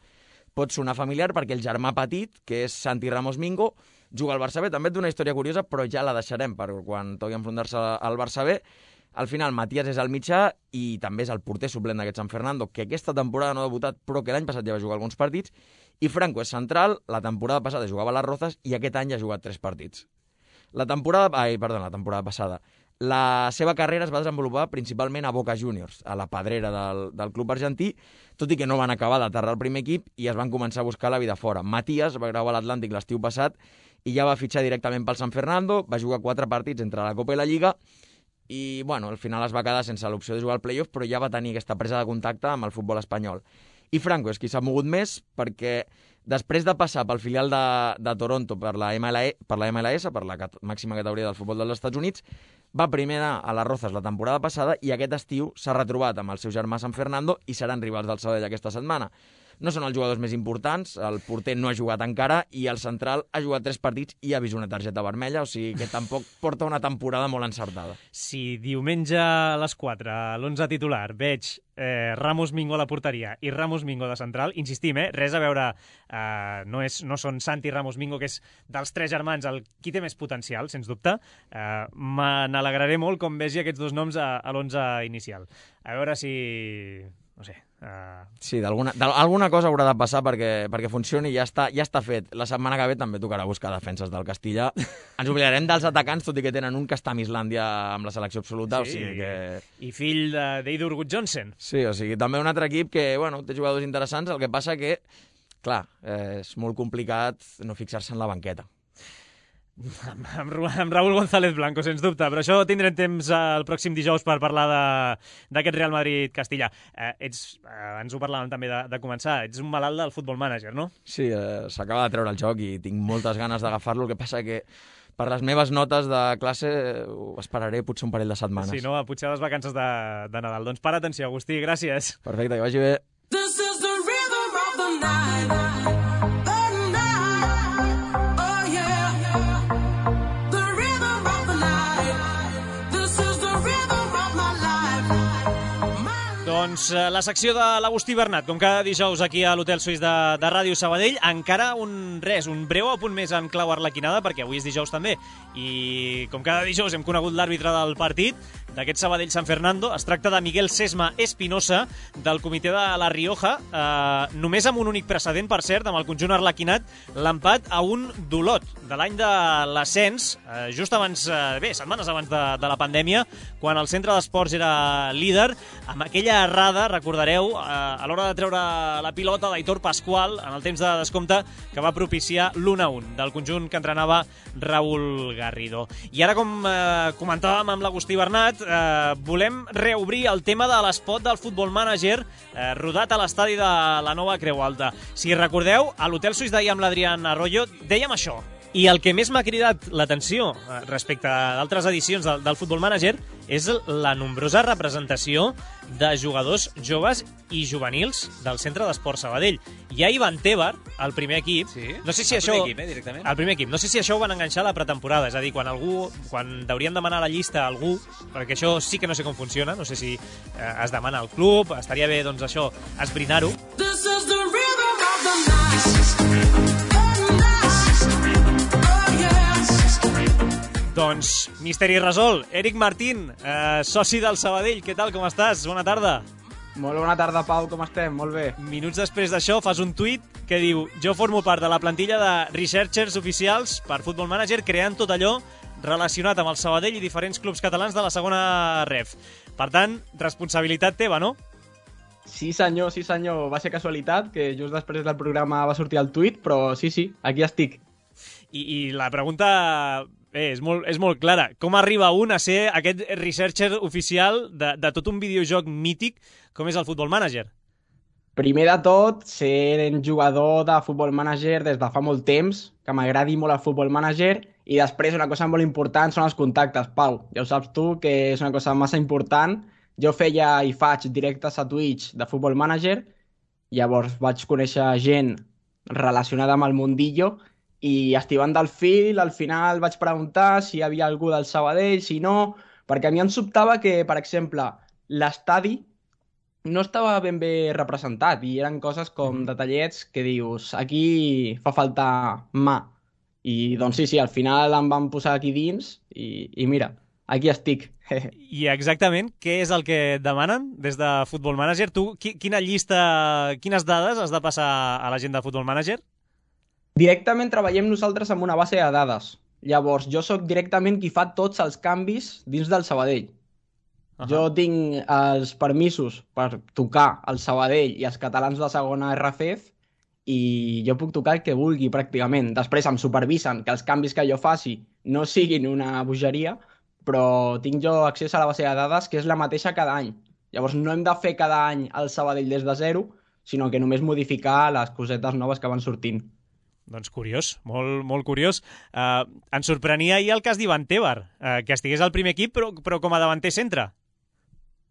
pot sonar familiar perquè el germà petit, que és Santi Ramos Mingo, juga al Barça B. També et d'una història curiosa, però ja la deixarem per quan toqui enfrontar-se al Barça B. Al final, Matías és el mitjà i també és el porter suplent d'aquest San Fernando, que aquesta temporada no ha debutat, però que l'any passat ja va jugar alguns partits. I Franco és central, la temporada passada jugava a les Rozas i aquest any ja ha jugat tres partits. La temporada... Ai, perdó, la temporada passada. La seva carrera es va desenvolupar principalment a Boca Juniors, a la pedrera del, del club argentí, tot i que no van acabar d'aterrar al primer equip i es van començar a buscar la vida fora. Matías va gravar a l'Atlàntic l'estiu passat i ja va fitxar directament pel San Fernando, va jugar quatre partits entre la Copa i la Lliga i, bueno, al final es va quedar sense l'opció de jugar al playoff, però ja va tenir aquesta presa de contacte amb el futbol espanyol. I Franco és qui s'ha mogut més perquè després de passar pel filial de, de Toronto per la, M L E, per la M L S, per la cat màxima categoria del futbol dels Estats Units, va primer anar a les Rozas la temporada passada i aquest estiu s'ha retrobat amb el seu germà San Fernando i seran rivals del Sabadell aquesta setmana. No són els jugadors més importants, el porter no ha jugat encara i el central ha jugat tres partits i ha vist una targeta vermella, o sigui que tampoc porta una temporada molt encertada. Si diumenge a les quatre, a l'onze titular, veig eh, Ramos Mingo a la porteria i Ramos Mingo de central, insistim, eh, res a veure, eh, no, és, no són Santi Ramos Mingo, que és dels tres germans el qui té més potencial, sens dubte. Eh, me n'alegraré molt com vegi aquests dos noms a, a l'onze inicial. A veure si... no sé... Uh... Sí, d'alguna alguna cosa haurà de passar perquè, perquè funcioni i ja està, ja està fet. La setmana que ve també tocarà buscar defenses del Castilla. Ens oblidarem dels atacants, tot i que tenen un que està a Islàndia amb la selecció absoluta. Sí, o sigui que... i fill d'Eidur Gudjonsen. Sí, o sigui, també un altre equip que, bueno, té jugadors interessants, el que passa que, clar, eh, és molt complicat no fixar-se en la banqueta. Amb, amb Raúl González Blanco, sens dubte, però això tindrem temps el pròxim dijous per parlar d'aquest Real Madrid-Castilla. Eh, ets, eh, ens ho parlàvem també de, de començar, ets un malalt del Futbol Manager, no? Sí, eh, s'acaba de treure el joc i tinc moltes ganes d'agafar-lo, el que passa que per les meves notes de classe ho esperaré potser un parell de setmanes. Sí, no? Potser a les vacances de, de Nadal. Doncs para atenció, Agustí, gràcies. Perfecte, que vagi bé. This is the rhythm of the night. Doncs la secció de l'Agustí Bernat, com cada dijous aquí a l'Hotel Suís de, de Ràdio Sabadell. Encara un res, un breu apunt més en clau arlequinada, perquè avui és dijous també. I com cada dijous hem conegut l'àrbitre del partit, d'aquest Sabadell-San Fernando. Es tracta de Miguel Sesma Espinosa, del comitè de La Rioja. Eh, només amb un únic precedent, per cert, amb el conjunt arlequinat, l'empat a un d'Olot, de l'any de l'ascens, eh, just abans, eh, bé, setmanes abans de, de la pandèmia, quan el centre d'esports era líder, amb aquella errada, recordareu, eh, a l'hora de treure la pilota d'Aitor Pascual, en el temps de descompte, que va propiciar l'u a un del conjunt que entrenava Raúl Garrido. I ara, com eh, comentàvem amb l'Agustí Bernat, eh, volem reobrir el tema de l'espot del Futbol Manager eh, rodat a l'estadi de la Nova Creu Alta. Si recordeu, a l'Hotel Suís d'ahir amb l'Adrián Arroyo dèiem això. I el que més m'ha cridat l'atenció respecte a d'altres edicions del, del Futbol Manager és la nombrosa representació de jugadors joves i juvenils del Centre d'Esport Sabadell. Hi ha Ivan Tebar, el primer equip. Sí, no sé si el això, primer equip, eh, directament. El primer equip. No sé si això ho van enganxar a la pretemporada, és a dir, quan algú, quan deurien demanar la llista a algú, perquè això sí que no sé com funciona, no sé si eh, es demana al club, estaria bé, doncs, això, esbrinar-ho. This is the rhythm of the night. Doncs, misteri resolt. Eric Martín, eh, soci del Sabadell, què tal, com estàs? Bona tarda. Molt bona tarda, Pau, com estem? Molt bé. Minuts després d'això fas un tuit que diu: jo formo part de la plantilla de researchers oficials per Futbol Manager, creant tot allò relacionat amb el Sabadell i diferents clubs catalans de la segona ref. Per tant, responsabilitat teva, no? Sí senyor, sí senyor. Va ser casualitat que just després del programa va sortir el tuit, però sí, sí, aquí estic. I, i la pregunta... Bé, és molt, és molt clara. Com arriba un a ser aquest researcher oficial de, de tot un videojoc mític com és el Futbol Manager? Primer de tot, ser jugador de Futbol Manager des de fa molt temps, que m'agradi molt el Futbol Manager, i després una cosa molt important són els contactes, Pau. Ja ho saps tu, que és una cosa massa important Jo feia i faig directes a Twitch de Football Manager, llavors vaig conèixer gent relacionada amb el mundillo i estivant del fil, al final vaig preguntar si hi havia algú del Sabadell, si no, perquè a mi em sobtava que, per exemple, l'estadi no estava ben bé representat i eren coses com detallets que dius, aquí fa falta mà. I doncs sí, sí, al final em van posar aquí dins i, i mira, aquí estic. I exactament què és el que demanen des de Football Manager? Tu, qui- quina llista, quines dades has de passar a la gent de Football Manager? Directament treballem nosaltres amb una base de dades. Llavors, jo sóc directament qui fa tots els canvis dins del Sabadell. Uh -huh. Jo tinc els permisos per tocar el Sabadell i els catalans de segona R F F i jo puc tocar el que vulgui pràcticament. Després em supervisen que els canvis que jo faci no siguin una bogeria, però tinc jo accés a la base de dades que és la mateixa cada any. Llavors no hem de fer cada any el Sabadell des de zero, sinó que només modificar les cosetes noves que van sortint. Doncs curiós, molt, molt curiós. Uh, ens sorprenia ahir el cas d'Ivan Tebar, uh, que estigués al primer equip, però, però com a davanter centre.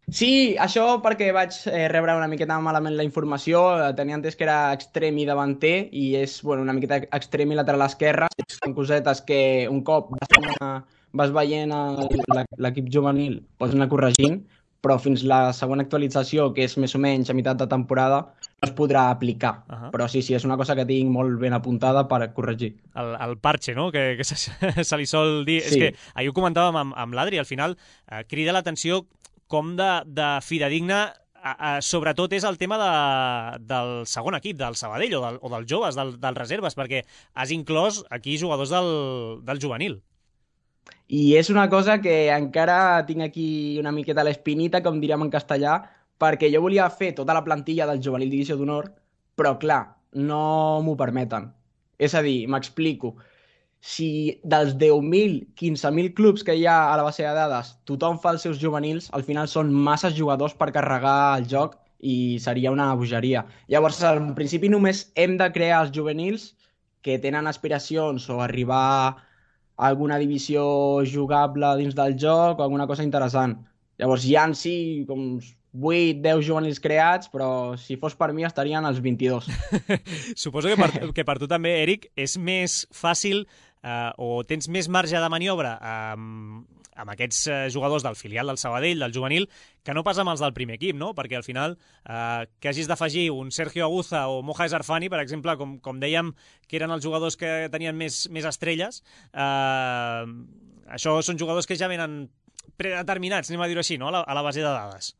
Sí, això perquè vaig eh, rebre una miqueta malament la informació. Eh, Tenia entès que era extrem i davanter i és bueno, una miqueta extrem i lateral esquerre. Són cosetes que un cop vas, anar, vas veient el- la- l'equip juvenil pots anar corregint, però fins la següent actualització, que és més o menys a meitat de temporada, no es podrà aplicar. Ahà. Però sí, sí, és una cosa que tinc molt ben apuntada per corregir. El, el parche, no?, que, que se, se li sol dir. Sí. És que ahir ho comentàvem amb, amb l'Adri, al final eh, crida l'atenció com de, de fidedigna, a, a, sobretot és el tema de, del segon equip, del Sabadell o, del, o dels joves, del, dels reserves, perquè has inclòs aquí jugadors del, del juvenil. I és una cosa que encara tinc aquí una miqueta l'espinita, com diríem en castellà, perquè jo volia fer tota la plantilla del juvenil divisió d'honor, però clar, no m'ho permeten. És a dir, m'explico. Si dels deu mil, quinze mil clubs que hi ha a la base de dades tothom fa els seus juvenils, al final són massa jugadors per carregar el joc i seria una bogeria. Llavors, en principi només hem de crear els juvenils que tenen aspiracions o arribar a alguna divisió jugable dins del joc o alguna cosa interessant. Llavors hi ha en si com vuit deu juvenils creats, però si fos per mi estarien els vint-i-dos. Suposo que per, que per tu també, Eric, és més fàcil eh, o tens més marge de maniobra amb, amb aquests eh, jugadors del filial del Sabadell, del juvenil, que no pas amb els del primer equip, no? Perquè al final eh, que hagis d'afegir un Sergio Aguza o Moja Zarfani, per exemple, com, com dèiem, que eren els jugadors que tenien més, més estrelles, eh, això són jugadors que ja venen predeterminats, anem a dir-ho així, no? a, la, a la base de dades.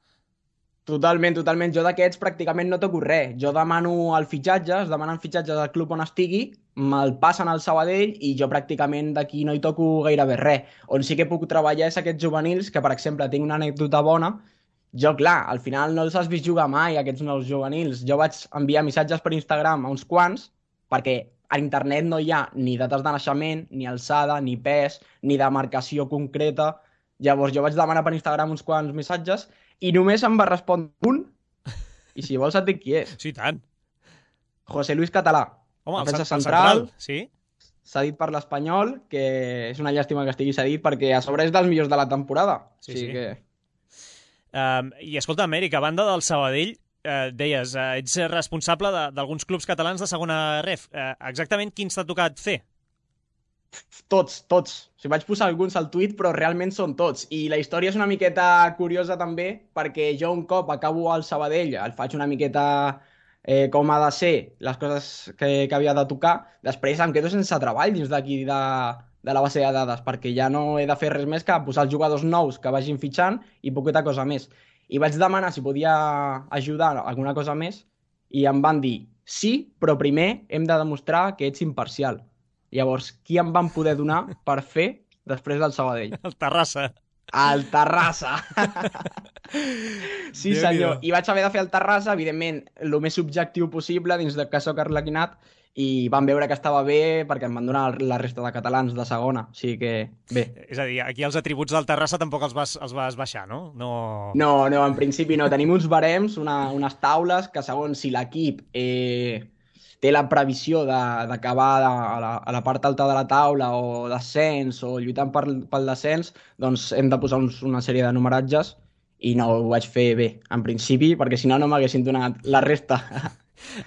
Totalment, totalment. Jo d'aquests pràcticament no toco res. Jo demano el fitxatge, es demanen fitxatges al club on estigui, me'l passen al Sabadell i jo pràcticament d'aquí no hi toco gairebé res. On sí que puc treballar és aquests juvenils, que per exemple tinc una anècdota bona. Jo, clar, al final no els has vist jugar mai, aquests nous juvenils. Jo vaig enviar missatges per Instagram a uns quants, perquè a internet no hi ha ni dates de naixement, ni alçada, ni pes, ni demarcació concreta. Llavors jo vaig demanar per Instagram uns quants missatges i només em va respondre un, i si vols et dic qui és. Sí, tant. José Luis Català. Home, el, defensa cen- el central, central, sí? cedit per l'Espanyol, que és una llàstima que estigui cedit perquè a sobre és dels millors de la temporada. Sí, o sigui sí. que... Um, I escolta, Eric, a banda del Sabadell, eh, deies, eh, ets responsable de- d'alguns clubs catalans de segona ref. Eh, exactament quins t'ha tocat fer? Tots, tots. O sigui, vaig posar alguns al tuit, però realment són tots. I la història és una miqueta curiosa també, perquè jo un cop acabo al Sabadell, el faig una miqueta eh, com ha de ser, les coses que, que havia de tocar, després em quedo sense treball dins d'aquí de, de la base de dades, perquè ja no he de fer res més que posar els jugadors nous que vagin fitxant i poqueta cosa més. I vaig demanar si podia ajudar alguna cosa més i em van dir sí, però primer hem de demostrar que ets imparcial. Llavors, qui em van poder donar per fer després del Sabadell? El Terrassa. El Terrassa. Sí, Déu-n'hi-do. senyor. I vaig haver de fer el Terrassa, evidentment, el més subjectiu possible dins de que soc arlequinat, i van veure que estava bé perquè em van donar la resta de catalans de segona. O sigui que, bé. És a dir, aquí els atributs del Terrassa tampoc els vas, els vas baixar, no? No, No, no, en principi no. Tenim uns barems, una, unes taules, que segons si l'equip eh, té la previsió de- d'acabar a, la, a la part alta de la taula o descens o lluitant per, pel descens, doncs hem de posar uns, una sèrie de numeratges i no ho vaig fer bé, en principi, perquè si no no m'haguessin donat la resta.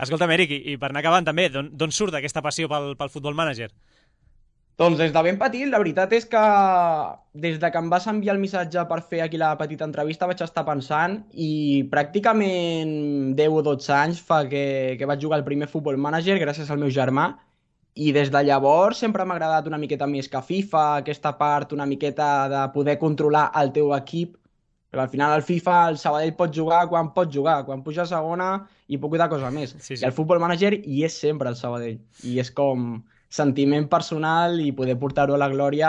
Escolta'm, Eric, i, i per anar acabant també, d'on surt aquesta passió pel, pel Football Manager? Doncs des de ben petit, la veritat és que des de que em vas enviar el missatge per fer aquí la petita entrevista vaig estar pensant i pràcticament deu o dotze anys fa que, que vaig jugar al primer Football Manager gràcies al meu germà i des de llavors sempre m'ha agradat una miqueta més que FIFA, aquesta part una miqueta de poder controlar el teu equip, perquè al final al FIFA el Sabadell pot jugar quan pot jugar, quan puja a segona i poqueta cosa més. Sí, sí. I el Football Manager hi és sempre el Sabadell i és com sentiment personal i poder portar-ho a la glòria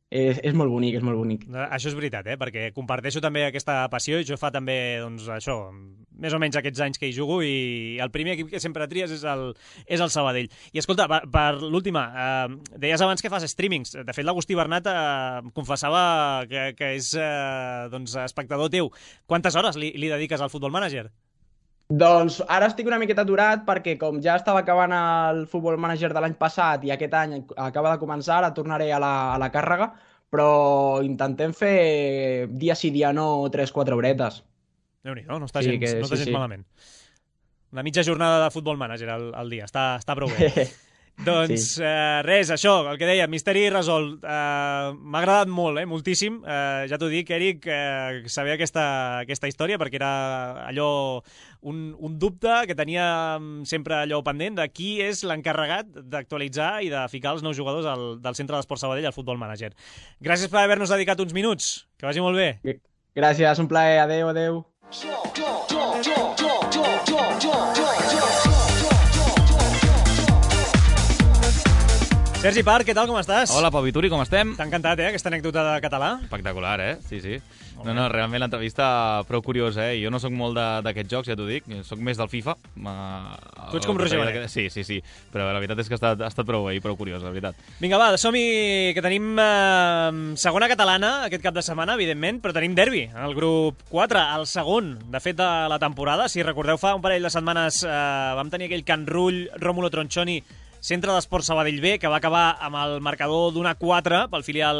és, és molt bonic, és molt bonic. Això és veritat, eh? Perquè comparteixo també aquesta passió i jo fa també, doncs, això, més o menys aquests anys que hi jugo i el primer equip que sempre tries és el, és el Sabadell. I escolta, per, per l'última, eh, deies abans que fas streamings. De fet, l'Agustí Bernat eh, confessava que, que és eh, doncs, espectador teu. Quantes hores li, li dediques al Football Manager? Doncs ara estic una miqueta aturat perquè com ja estava acabant el Football Manager de l'any passat i aquest any acaba de començar, ara tornaré a la, a la càrrega, però intentem fer dia sí, dia no, tres quatre horetes. Déu-n'hi-do, no està sí, gens, que, no està sí, gens sí. malament. Una mitja jornada de Football Manager al, al dia, està, està prou bé. Doncs sí. eh, res, això, el que deia, misteri resolt. Eh, M'ha agradat molt, eh, moltíssim. Eh, ja t'ho dic, Eric, eh, saber aquesta, aquesta història, perquè era allò, un, un dubte que tenia sempre allò pendent de qui és l'encarregat d'actualitzar i de ficar els nous jugadors al, del Centre d'Esport Sabadell al Football Manager. Gràcies per haver-nos dedicat uns minuts. Que vagi molt bé. Gràcies, un plaer. Adéu, adéu. Sergi Parc, què tal, com estàs? Hola, Pau Vituri, com estem? T'ha encantat, eh, aquesta anècdota de català? Espectacular, eh? Sí, sí. No, no, realment l'entrevista prou curiosa, eh? Jo no sóc molt d'aquests jocs, ja t'ho dic. Sóc més del FIFA. Tu ets com Roger Benet. Sí, sí, sí. Però la veritat és que ha estat, ha estat prou bé i prou curiós, la veritat. Vinga, va, som-hi, que tenim eh, segona catalana aquest cap de setmana, evidentment, però tenim derbi en el grup quatre, el segon, de fet, de la temporada. Si recordeu, fa un parell de setmanes eh, vam tenir aquell Can Rull, Rómulo Tronchoni, Centre d'Esport Sabadell B, que va acabar amb el marcador d'una quatre pel filial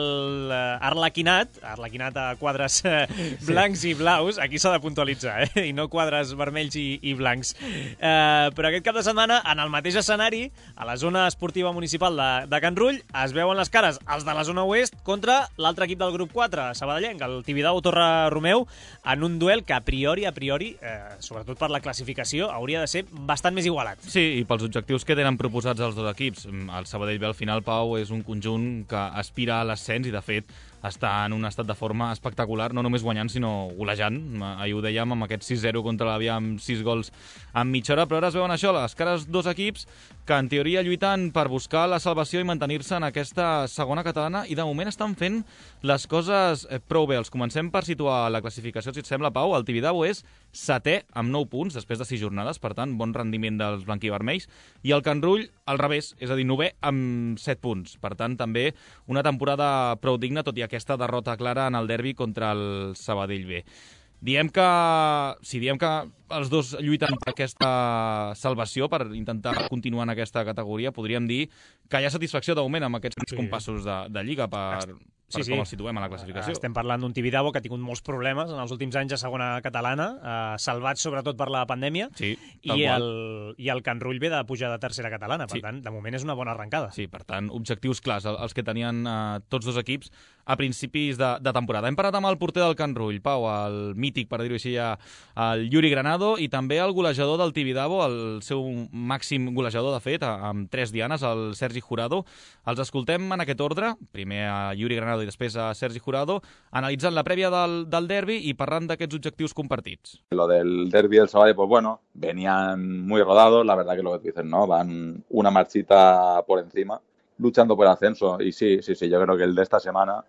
eh, Arlequinat, Arlequinat a quadres eh, blancs sí. i blaus, aquí s'ha de puntualitzar, eh? I no quadres vermells i, i blancs. Eh, però aquest cap de setmana, en el mateix escenari, a la zona esportiva municipal de, de Can Rull, es veuen les cares els de la zona oest contra l'altre equip del grup quatre, sabadellenc, el Tibidabo Torre Romeu, en un duel que a priori, a priori, eh, sobretot per la classificació, hauria de ser bastant més igualat. Sí, i pels objectius que tenen proposats els dos equips. El Sabadell B al final, Pau, és un conjunt que aspira a l'ascens i de fet està en un estat de forma espectacular, no només guanyant sinó golejant. Ahir ho dèiem amb aquest sis zero contra l'Avià amb sis gols en mitja hora, però ara es veuen això, les cares dos equips que en teoria lluiten per buscar la salvació i mantenir-se en aquesta segona catalana i de moment estan fent les coses prou bé. Els comencem per situar la classificació, si et sembla, Pau. El Tibidabo és setè amb nou punts després de sis jornades, per tant, bon rendiment dels blanquivermells, i el Can Rull al revés, és a dir, novè amb set punts. Per tant, també una temporada prou digna, tot i aquesta derrota clara en el derbi contra el Sabadell B. Diem que, si diem que els dos lluiten per aquesta salvació, per intentar continuar en aquesta categoria, podríem dir que hi ha satisfacció de moment amb aquests sí. compassos de, de Lliga per, per sí, com sí. els situem a la classificació. Estem parlant d'un Tibidabo que ha tingut molts problemes en els últims anys a segona catalana, eh, salvats sobretot per la pandèmia, sí, i, el, i el Can Rull ve de pujar de tercera catalana, per sí. tant, de moment és una bona arrencada. Sí, per tant, objectius clars, els que tenien eh, tots dos equips a principis de, de temporada. Hem parlat amb el porter del Can Rull, Pau, el mític, per dir-ho així, el Yuri Granado, i també el golejador del Tibidabo, el seu màxim golejador, de fet, amb tres dianes, el Sergi Jurado. Els escoltem en aquest ordre, primer a Yuri Granado i després a Sergi Jurado, analitzant la prèvia del, del derbi y parlant d'aquests objectius compartits. Lo del derbi del Sabadell, pues bueno, venían muy rodados, la verdad que lo que tú dices, ¿no? Van una marchita por encima, luchando por el ascenso. Y sí, sí, sí, yo creo que el de esta semana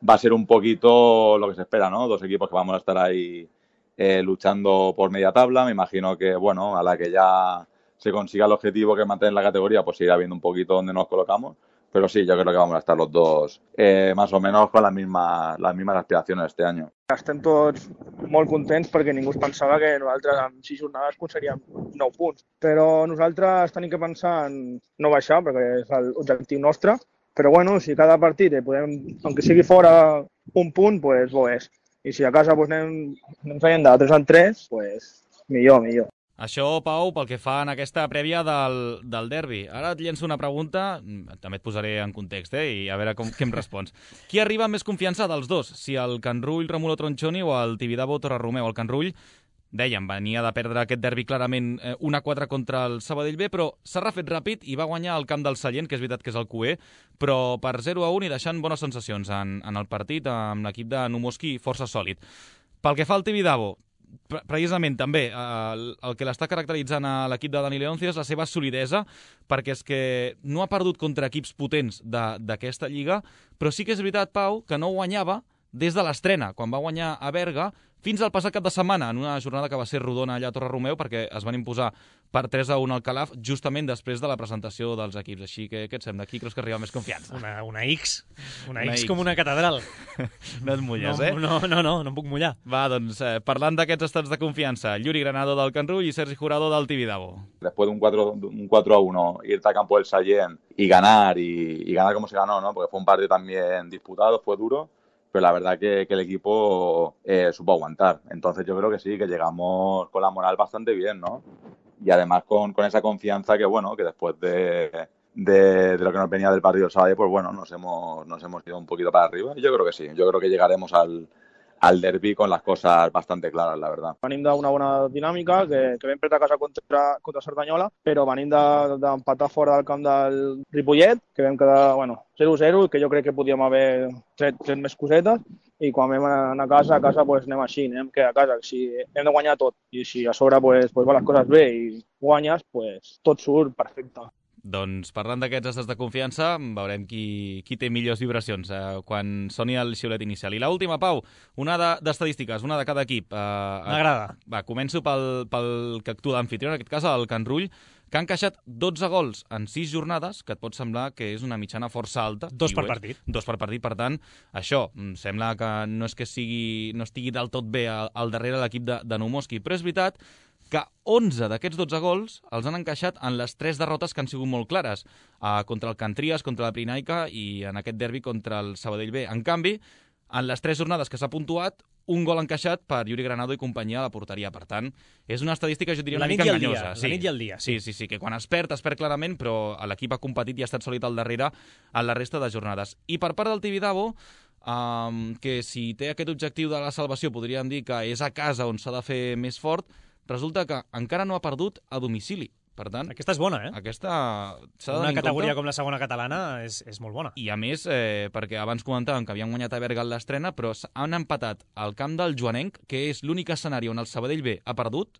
va a ser un poquito lo que se espera, ¿no? Dos equipos que vamos a estar ahí eh, luchando por media tabla. Me imagino que, bueno, a la que ya se consiga el objetivo que es mantener la categoría, pues irá viendo un poquito dónde nos colocamos. Pero sí, yo creo que vamos a estar los dos eh, más o menos con las mismas, las mismas aspiraciones este año. Estem tots molt contents perquè ningú es pensava que nosaltres en sis jornades aconseguiríem nou punts. Però nosaltres tenim que pensar en no baixar, perquè és l'objectiu nostre. Però bueno, si cada partit podem, aunque sigui fora un punt, pues bo és. I si a casa doncs, anem, anem traient de tres en tres, doncs, millor, millor. Això, Pau, pel que fa en aquesta prèvia del, del derbi. Ara et llenço una pregunta, també et posaré en context, eh, i a veure com, què em respons. Qui arriba amb més confiança dels dos? Si el Can Rull, Romulo Tronchoni o el Tibidabo, Torreromeu? El Can Rull, dèiem, venia de perdre aquest derbi clarament eh, un a quatre contra el Sabadell B, però s'ha refet ràpid i va guanyar el camp del Sallent, que és veritat que és el Q E, però per zero a un i deixant bones sensacions en, en el partit amb l'equip de Numoski força sòlid. Pel que fa al Tibidabo, precisament també eh, el, el que l'està caracteritzant a l'equip de Dani Leoncio és la seva solidesa, perquè és que no ha perdut contra equips potents d'aquesta lliga, però sí que és veritat, Pau, que no guanyava des de l'estrena, quan va guanyar a Berga, fins al passat cap de setmana, en una jornada que va ser rodona allà a Torreromeu, perquè es van imposar per tres a un al Calaf, justament després de la presentació dels equips. Així que, què et sembla? Qui creus que arriba més confiança? Una, una X. Una, una X, X com una catedral. No et mulles, no, eh? No, no, no, no em puc mullar. Va, doncs, eh, parlant d'aquests estats de confiança, Yuri Granado del Can Rull i Sergi Jurado del Tibidabo. Después de un cuatro, un cuatro a uno, irte a campo del Sallent y ganar, y, y ganar como se ganó, ¿no? Porque fue un partido también disputado, fue duro, pero la verdad que, que el equipo eh, supo aguantar. Entonces yo creo que sí, que llegamos con la moral bastante bien, ¿no? Y además con, con esa confianza que, bueno, que después de, de, de lo que nos venía del partido del sábado, pues bueno, nos hemos, nos hemos ido un poquito para arriba. Y yo creo que sí, yo creo que llegaremos al, al derbi con las cosas bastante claras, la verdad. Venim d'una bona dinàmica, que, que vam perdre a casa contra, contra Cerdanyola, però venim d'empatar de, fora del camp del Ripollet, que vam quedar, bueno, zero a zero, que jo crec que podíem haver tret, tret més cosetes, i quan vam anar a casa, a casa pues, anem així, anem que a casa, si hem de guanyar tot, i si a sobre pues, pues, van les coses bé i guanyes, pues, tot surt perfecte. Doncs parlant d'aquests estats de confiança, veurem qui, qui té millors vibracions eh, quan soni el xiulet inicial. I l'última, Pau, una d'estadístiques, una de cada equip. Eh, M'agrada. Va, començo pel, pel que actua d'anfitrió, en aquest cas el Can Rull, que han encaixat dotze gols en sis jornades, que et pot semblar que és una mitjana força alta. Dos per partit. Dos per partit, per tant, això, em sembla que no és que sigui, no estigui del tot bé al, al darrere l'equip de, de Numoski, però és veritat que onze d'aquests dotze gols els han encaixat en les tres derrotes que han sigut molt clares, eh, contra el Can Trias, contra la Pirinaica i en aquest derbi contra el Sabadell B. En canvi, en les tres jornades que s'ha puntuat, un gol encaixat per Yuri Granado i companyia a la porteria. Per tant, és una estadística, jo diria, una mica enganyosa. Sí. La nit i el dia. Sí, sí, sí, que quan es perd, es perd clarament, però l'equip ha competit i ha estat sòlid al darrere en la resta de jornades. I per part del Tibidabo, um, que si té aquest objectiu de la salvació, podríem dir que és a casa on s'ha de fer més fort, resulta que encara no ha perdut a domicili. Per tant, aquesta és bona, eh? Aquesta s'ha de Una tenir en categoria compte. com la segona catalana és, és molt bona. I a més, eh, perquè abans comentàvem que havien guanyat a Berga en l'estrena, però han empatat al camp del Joanenc, que és l'únic escenari on el Sabadell B ha perdut,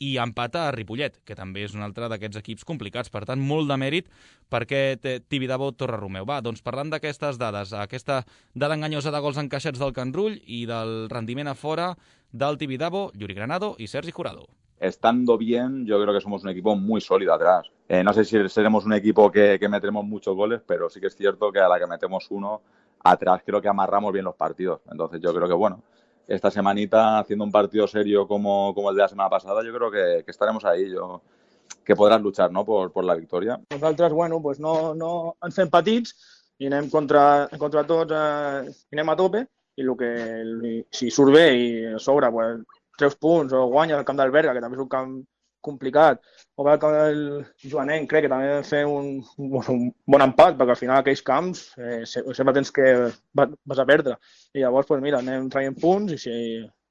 i empata a Ripollet, que també és un altre d'aquests equips complicats. Per tant, molt de mèrit per aquest Tibidabo Torreromeu. Va, doncs parlant d'aquestes dades, aquesta dada enganyosa de gols encaixats del Can Rull i del rendiment a fora del Tibidabo, Yuri Granado i Sergi Jurado. Estando bien, yo creo que somos un equipo muy sólido atrás. Eh, no sé si seremos un equipo que, que meteremos muchos goles, pero sí que es cierto que a la que metemos uno, atrás creo que amarramos bien los partidos. Entonces yo creo que, bueno, esta semanita, haciendo un partido serio como, como el de la semana pasada, yo creo que, que estaremos ahí, yo, que podrás luchar, ¿no?, por, por la victoria. Nosaltres, bueno, pues no, no ens fem petits i anem contra, contra tots, eh, i anem a tope, i el que, si surt bé i a sobre, pues, tres punts, o guanya el camp del Berga, que també és un camp complicat, o va el camp del Joanenc, crec que també vam fer un, un bon empat, perquè al final aquells camps eh, sempre tens que vas a perdre. I llavors, pues, mira, anem traient punts i si,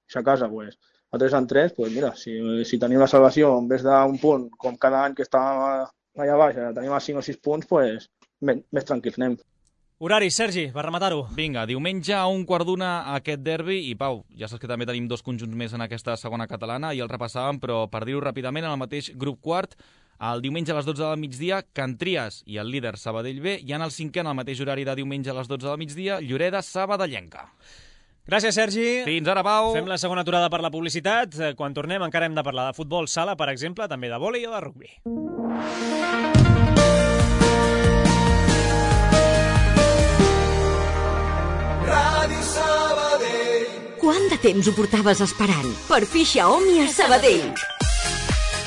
si a casa pues, a tres en tres, pues, mira, si, si tenim la salvació en vez d'un punt, com cada any que estàvem allà baix, tenim a cinc o sis punts, pues, més, més tranquils anem. Horari, Sergi, per rematar-ho. Vinga, diumenge a un quart d'una aquest derbi i, Pau, ja saps que també tenim dos conjunts més en aquesta segona catalana i el repassàvem, però per dir-ho ràpidament, en el mateix grup quart, el diumenge a les dotze del migdia, Can Trias i el líder Sabadell B, i en el cinquè, en el mateix horari de diumenge a les dotze del migdia, Lloreda Sabadellenca. Gràcies, Sergi. Fins ara, Pau. Fem la segona aturada per la publicitat. Quan tornem encara hem de parlar de futbol sala, per exemple, també de vòlei o de rugbi. Ràdio Sabadell. Quant de temps ho portaves esperant? Per fi Xiaomi a Sabadell.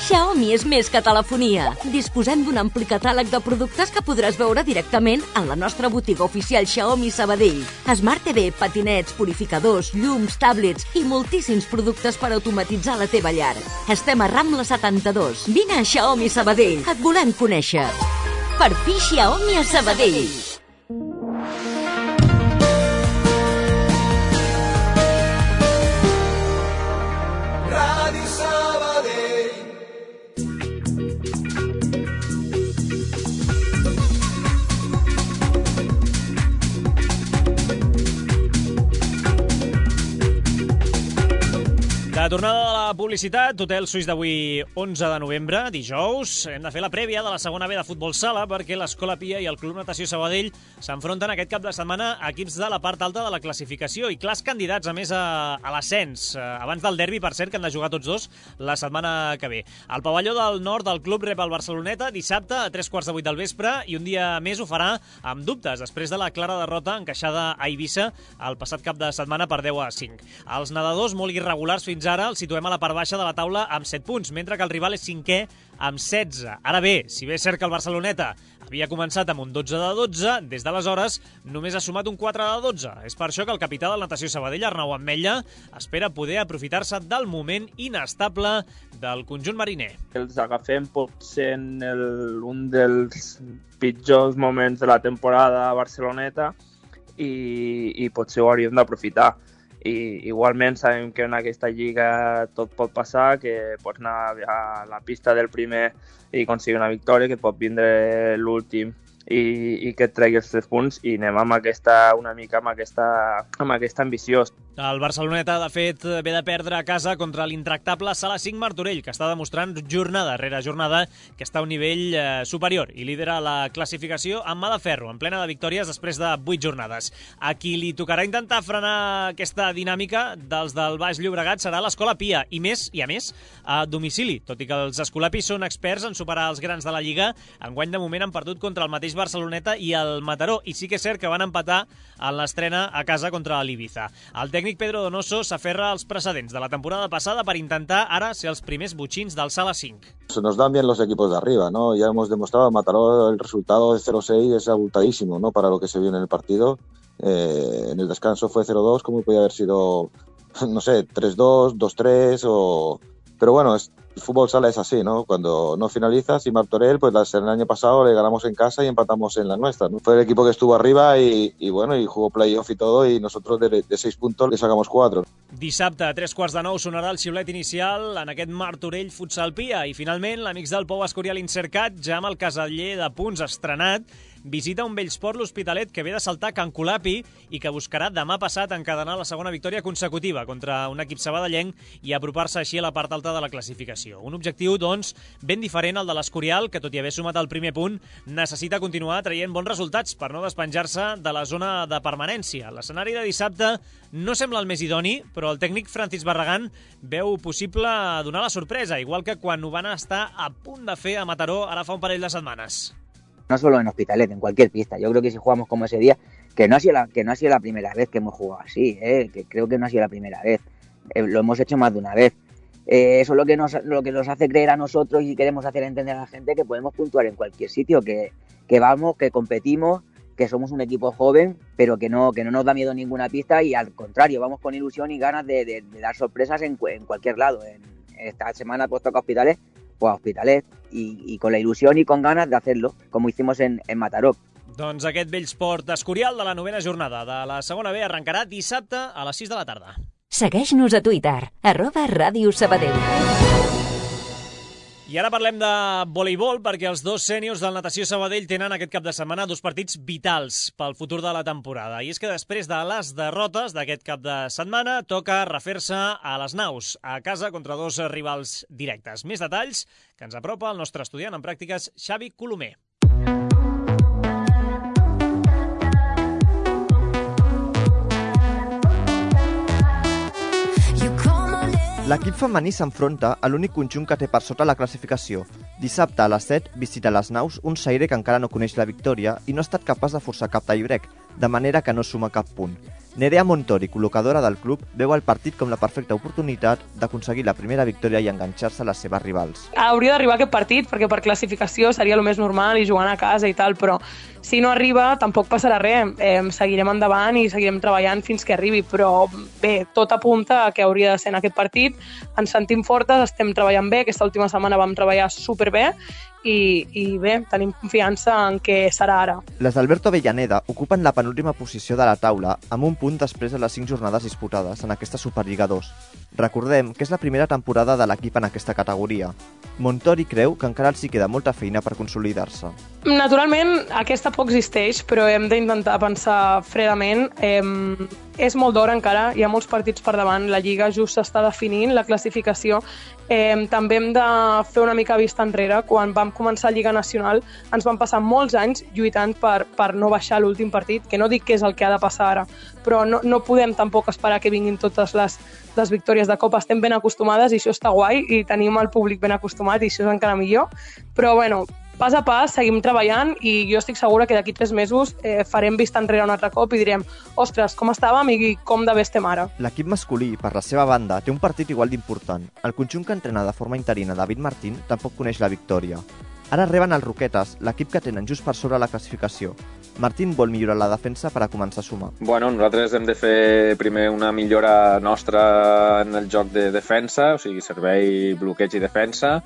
Xiaomi és més que telefonia. Disposem d'un ampli catàleg de productes que podràs veure directament en la nostra botiga oficial Xiaomi Sabadell. Smart T V, patinets, purificadors, llums, tablets i moltíssims productes per automatitzar la teva llar. Estem a Rambla setanta-dos. Vine a Xiaomi Sabadell. Et volem conèixer. Per fi Xiaomi a Sabadell. La tornada de la publicitat, Hotel Suís d'avui onze de novembre, dijous. Hem de fer la prèvia de la segona B de futbol sala perquè l'Escola Pia i el Club Natació Sabadell s'enfronten aquest cap de setmana a equips de la part alta de la classificació i clars candidats, a més, a, a l'ascens. Abans del derbi, per cert, que han de jugar tots dos la setmana que ve. El pavelló del nord del club rep el Barceloneta dissabte a tres quarts de vuit del vespre i un dia més ho farà amb dubtes, després de la clara derrota encaixada a Eivissa el passat cap de setmana per deu a cinc. Els nedadors, molt irregulars fins ara, els situem a la part baixa de la taula amb set punts, mentre que el rival és cinquè amb setze. Ara bé, si bé és cert que el Barceloneta havia començat amb un dotze de dotze, des d'aleshores només ha sumat un quatre de dotze. És per això que el capità del Natació Sabadell, Arnau Ametlla, espera poder aprofitar-se del moment inestable del conjunt mariner. Els agafem potser en el, un dels pitjors moments de la temporada a Barceloneta i, i potser ho hauríem d'aprofitar. I igualment sabem que en aquesta lliga tot pot passar, que pots anar a la pista del primer i aconseguir una victòria, que pot vindre l'últim i, i que et tregui els tres punts, i anem amb aquesta, una mica amb aquesta, amb aquesta ambició. El Barceloneta, de fet, ve de perdre a casa contra l'intractable Sala cinc Martorell, que està demostrant jornada rere jornada que està a un nivell eh, superior i lidera la classificació amb mà de ferro, en plena de victòries després de vuit jornades. A qui li tocarà intentar frenar aquesta dinàmica dels del Baix Llobregat serà l'Escola Pia, i més, i a més, a domicili, tot i que els escolapis són experts en superar els grans de la Lliga. Enguany, de moment, han perdut contra el mateix Barceloneta i el Mataró, i sí que és cert que van empatar en l'estrena a casa contra l'Ibiza. El tècnic Pedro Donoso s'aferra als precedents de la temporada passada per intentar ara ser els primers botxins del Sala cinc. Se nos dan bien los equipos de arriba, ¿no? Ya hemos demostrado, Mataró, el resultado de cero seis es abultadísimo, ¿no? Para lo que se vio en el partido. Eh, en el descanso fue cero dos, como podía haber sido, no sé, tres dos, dos tres, o... Pero bueno, es... El fútbol sala es así, ¿no? Cuando no finalizas, y Martorell, pues el año pasado le ganamos en casa y empatamos en la nuestra, ¿no? Fue el equipo que estuvo arriba y, y bueno, y jugó playoff y todo, y nosotros de, de seis puntos le sacamos cuatro. Dissabte, a tres quarts de nou, sonarà el xiulet inicial en aquest Martorell Futsal Pia, i finalment l'Amics del Pou Escorial Incercat, ja amb el caseller de punts estrenat, visita un Bellsport l'Hospitalet que ve de saltar Can Colapi i que buscarà demà passat encadenar la segona victòria consecutiva contra un equip sabadellenc i apropar-se així a la part alta de la classificació. Un objectiu, doncs, ben diferent al de l'Escorial, que tot i haver sumat el primer punt, necessita continuar traient bons resultats per no despenjar-se de la zona de permanència. L'escenari de dissabte no sembla el més idoni, però el tècnic Francis Barragán veu possible donar la sorpresa, igual que quan ho van estar a punt de fer a Mataró ara fa un parell de setmanes. No solo en Hospitalet, en cualquier pista. Yo creo que si jugamos como ese día, que no ha sido la, que no ha sido la primera vez que hemos jugado así, ¿eh? Que creo que no ha sido la primera vez. Eh, lo hemos hecho más de una vez. Eh, eso es lo que, nos, lo que nos hace creer a nosotros y queremos hacer entender a la gente que podemos puntuar en cualquier sitio, que, que vamos, que competimos, que somos un equipo joven, pero que no, que no nos da miedo ninguna pista, y al contrario, vamos con ilusión y ganas de, de, de dar sorpresas en, en cualquier lado. En, esta semana pues toca Hospitalet, pues a Hospitalet, y, y con la ilusión y con ganas de hacerlo, como hicimos en, en Mataró. Doncs aquest Bellsport Escorial de la novena jornada de la segona B arrencarà dissabte a les sis de la tarda. Segueix-nos a Twitter, arroba Ràdio Sabadell. I ara parlem de voleibol, perquè els dos sèniors del Natació Sabadell tenen aquest cap de setmana dos partits vitals pel futur de la temporada. I és que després de les derrotes d'aquest cap de setmana toca refer-se a les naus, a casa contra dos rivals directes. Més detalls que ens apropa el nostre estudiant en pràctiques, Xavi Colomer. L'equip femení s'enfronta a l'únic conjunt que té per sota la classificació. Dissabte a les set visita les naus un Saire que encara no coneix la victòria i no ha estat capaç de forçar cap tiebreak, de manera que no suma cap punt. Nerea Montori, col·locadora del club, veu el partit com la perfecta oportunitat d'aconseguir la primera victòria i enganxar-se a les seves rivals. Hauria d'arribar aquest partit perquè per classificació seria el més normal i jugant a casa i tal, però si no arriba tampoc passarà res. Eh, seguirem endavant i seguirem treballant fins que arribi, però bé, tot apunta a que hauria de ser en aquest partit. Ens sentim fortes, estem treballant bé, aquesta última setmana vam treballar superbé i, i bé, tenim confiança en que serà ara. Les d'Alberto Avellaneda ocupen la penúltima posició de la taula amb un punt després de les cinc jornades disputades en aquesta Superliga dos. Recordem que és la primera temporada de l'equip en aquesta categoria. Montori creu que encara els hi queda molta feina per consolidar-se. Naturalment, aquesta por existeix, però hem d'intentar pensar fredament. Eh, és molt d'hora encara, hi ha molts partits per davant, la Lliga just s'està definint, la classificació. Eh, també hem de fer una mica vista enrere. Quan vam començar Lliga Nacional ens van passar molts anys lluitant per, per no baixar l'últim partit, que no dic que és el que ha de passar ara, però no, no podem tampoc esperar que vinguin totes les, les victòries de Copa. Estem ben acostumades i això està guai i tenim el públic ben acostumat i això és encara millor, però bueno, pas a pas seguim treballant i jo estic segura que d'aquí tres mesos eh, farem vista enrere un altre cop i direm ostres, com estàvem i com de bé estem ara. L'equip masculí, per la seva banda, té un partit igual d'important. El conjunt que entrena de forma interina David Martín tampoc coneix la victòria. Ara reben els Roquetes, l'equip que tenen just per sobre la classificació. Martín vol millorar la defensa per a començar a sumar. Bueno, nosaltres hem de fer primer una millora nostra en el joc de defensa, o sigui, servei, bloqueig i defensa,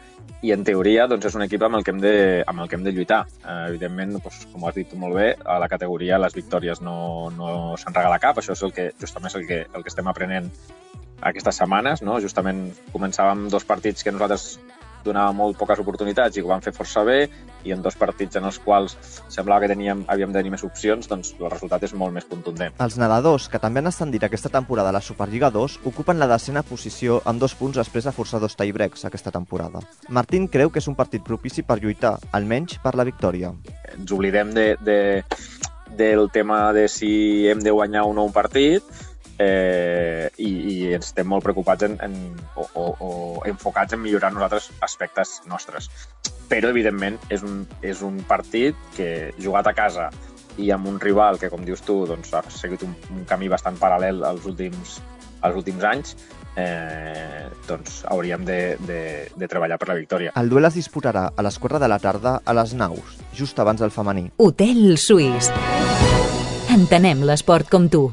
i en teoria doncs, és un equip amb el que hem de, amb el que hem de lluitar. Eh, evidentment, doncs, com has dit molt bé, a la categoria les victòries no, no se'n regala cap, això és el que, justament el que, el que estem aprenent aquestes setmanes, no? Justament començàvem dos partits que nosaltres donava molt poques oportunitats i ho van fer força bé, i en dos partits en els quals semblava que teníem, havíem de tenir més opcions, doncs el resultat és molt més contundent. Els nedadors, que també han ascendit aquesta temporada a la Superliga dos, ocupen la desena posició amb dos punts després de forçar dos tie-breaks aquesta temporada. Martín creu que és un partit propici per lluitar, almenys per la victòria. Ens oblidem de, de, del tema de si hem de guanyar o no un partit, Eh, i, i estem molt preocupats en, en, o, o, o enfocats en millorar nosaltres aspectes nostres. Però, evidentment, és un, és un partit que, jugat a casa i amb un rival que, com dius tu, doncs, ha seguit un, un camí bastant paral·lel als últims, als últims anys, eh, doncs hauríem de, de, de treballar per la victòria. El duel es disputarà a les quatre de la tarda a les Naus, just abans del femení. Hotel Suís. Entenem l'esport com tu.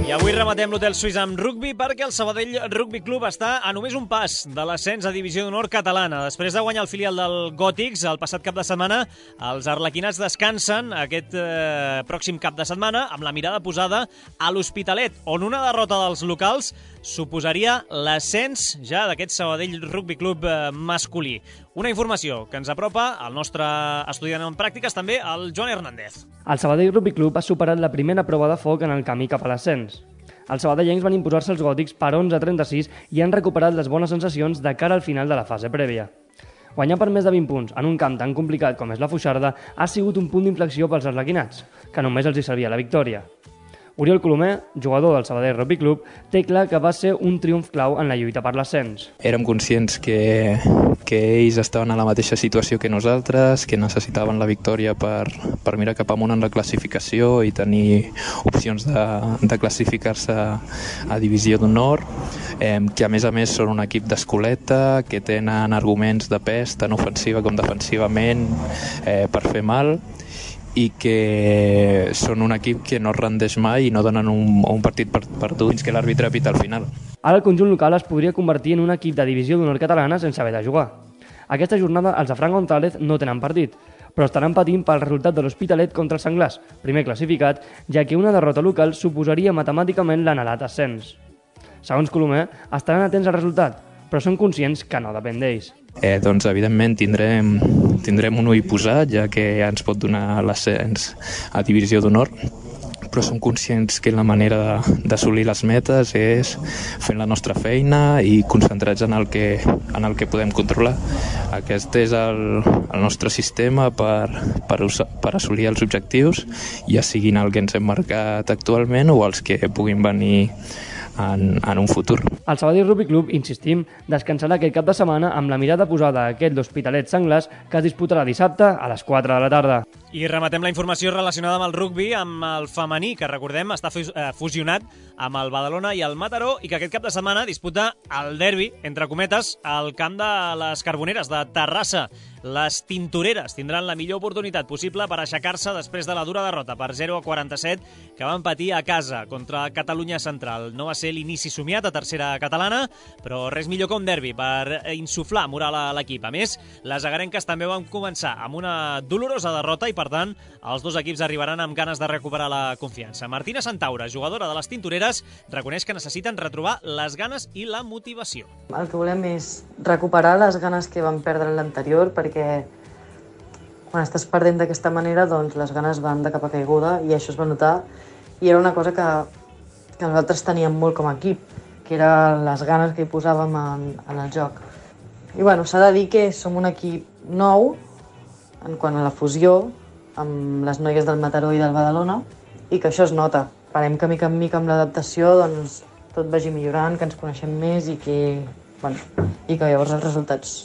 I avui rematem l'Hotel Suís amb rugbi perquè el Sabadell Rugby Club està a només un pas de l'ascens a Divisió d'Honor catalana. Després de guanyar el filial del Gòtics el passat cap de setmana, els arlequinats descansen aquest eh, pròxim cap de setmana amb la mirada posada a l'Hospitalet, on una derrota dels locals suposaria l'ascens ja d'aquest Sabadell Rugby Club eh, masculí. Una informació que ens apropa el nostre estudiant en pràctiques, també el Joan Hernández. El Sabadell Rugby Club ha superat la primera prova de foc en el camí cap a l'ascens. Els sabadellencs van imposar-se als gòtics per onze a trenta-sis i han recuperat les bones sensacions de cara al final de la fase prèvia. Guanyar per més de vint punts en un camp tan complicat com és la Foixarda ha sigut un punt d'inflexió pels arlequinats, que només els hi servia la victòria. Oriol Colomer, jugador del Sabadell Rugby Club, té clar que va ser un triomf clau en la lluita per l'ascens. Érem conscients que, que ells estaven a la mateixa situació que nosaltres, que necessitaven la victòria per, per mirar cap amunt en la classificació i tenir opcions de, de classificar-se a Divisió d'Honor, eh, que a més a més són un equip d'escoleta, que tenen arguments de pes tant ofensiva com defensivament eh, per fer mal, i que són un equip que no es rendeix mai i no donen un, un partit perdut fins que l'àrbitre pita al final. Ara el conjunt local es podria convertir en un equip de Divisió d'Honor catalana sense haver de jugar. Aquesta jornada els de Fran González no tenen partit, però estaran patint pel resultat de l'Hospitalet contra el Senglars, primer classificat, ja que una derrota local suposaria matemàticament l'anhelat ascens. Segons Colomer, estaran atents al resultat, però són conscients que no depèn d'ells. Eh, doncs, evidentment, tindrem, tindrem un ull posat, ja que ja ens pot donar l'ascens a Divisió d'Honor, però som conscients que la manera d'assolir les metes és fent la nostra feina i concentrats en el que, en el que podem controlar. Aquest és el, el nostre sistema per, per, per assolir els objectius, ja siguin el que ens hem marcat actualment o els que puguin venir en, en un futur. El Sabadell Rugby Club, insistim, descansarà aquest cap de setmana amb la mirada posada a aquest l'Hospitalet Senglars que es disputarà dissabte a les quatre de la tarda. I rematem la informació relacionada amb el rugby, amb el femení, que recordem està fusionat amb el Badalona i el Mataró i que aquest cap de setmana disputa el derbi, entre cometes, al camp de les Carboneres de Terrassa. Les tintoreres tindran la millor oportunitat possible per aixecar-se després de la dura derrota per zero a quaranta-set que van patir a casa contra Catalunya Central. No va ser l'inici somiat a tercera catalana, però res millor que un derbi per insuflar moral a l'equip. A més, les agarenques també van començar amb una dolorosa derrota i, per tant, els dos equips arribaran amb ganes de recuperar la confiança. Martina Santaura, jugadora de les tintoreres, reconeix que necessiten retrobar les ganes i la motivació. El que volem és recuperar les ganes que vam perdre en l'anterior, perquè quan estàs perdent d'aquesta manera, doncs les ganes van de capa caiguda i això es va notar. I era una cosa que, que nosaltres teníem molt com a equip, que era les ganes que hi posàvem en, en el joc. I bueno, s'ha de dir que som un equip nou en quant a la fusió amb les noies del Mataró i del Badalona i que això es nota. Esperem que mica en mica amb l'adaptació doncs, tot vagi millorant, que ens coneixem més i que, bueno, i que llavors els resultats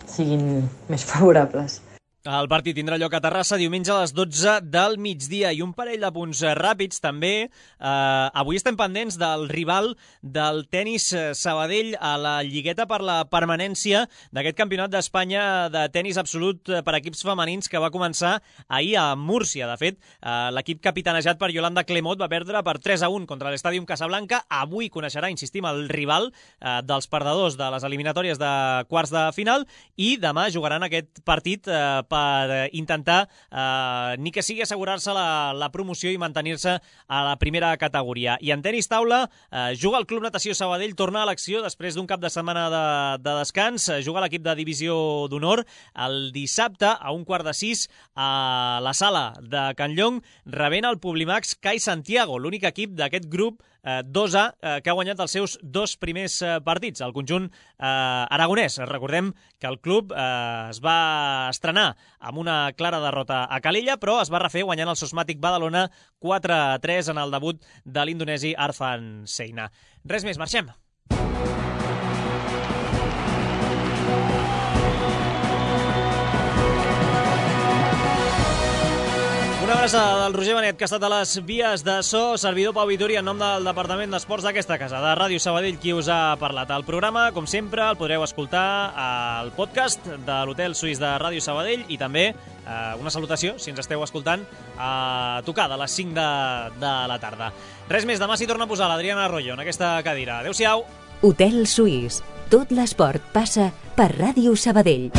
siguin més favorables. El partit tindrà lloc a Terrassa diumenge a les dotze del migdia i un parell de punts ràpids també. Eh, avui estem pendents del rival del tenis Sabadell a la lligueta per la permanència d'aquest campionat d'Espanya de tenis absolut per equips femenins que va començar ahir a Múrcia. De fet, eh, l'equip capitanejat per Yolanda Clemot va perdre per tres a un contra l'Estàdium Casablanca. Avui coneixerà, insistim, el rival eh, dels perdedors de les eliminatòries de quarts de final i demà jugaran aquest partit eh, per per intentar, eh, ni que sigui assegurar-se la, la promoció i mantenir-se a la primera categoria. I en tenis taula, eh, juga el Club Natació Sabadell, torna a l'acció després d'un cap de setmana de, de descans, eh, juga l'equip de Divisió d'Honor el dissabte a un quart de sis a la sala de Can Llong, rebent el Publimax Cai Santiago, l'únic equip d'aquest grup eh, dos A eh, que ha guanyat els seus dos primers eh, partits. El conjunt eh, aragonès. Recordem que el club eh, es va estrenar amb una clara derrota a Calella, però es va refer guanyant el Sosmatic Badalona quatre a tres en el debut de l'indonesi Arfan Seina. Res més, marxem! Una abraçada del Roger Benet, que ha estat a les vies de so, servidor Pau Vitori, en nom del Departament d'Esports d'aquesta casa, de Ràdio Sabadell, qui us ha parlat. El programa, com sempre, el podreu escoltar al podcast de l'Hotel Suís de Ràdio Sabadell i també eh, una salutació, si ens esteu escoltant, a tocar de les cinc de, de la tarda. Res més, demà s'hi torna a posar l'Adriana Arroyo en aquesta cadira. Adéu-siau. Hotel Suís. Tot l'esport passa per Ràdio Sabadell.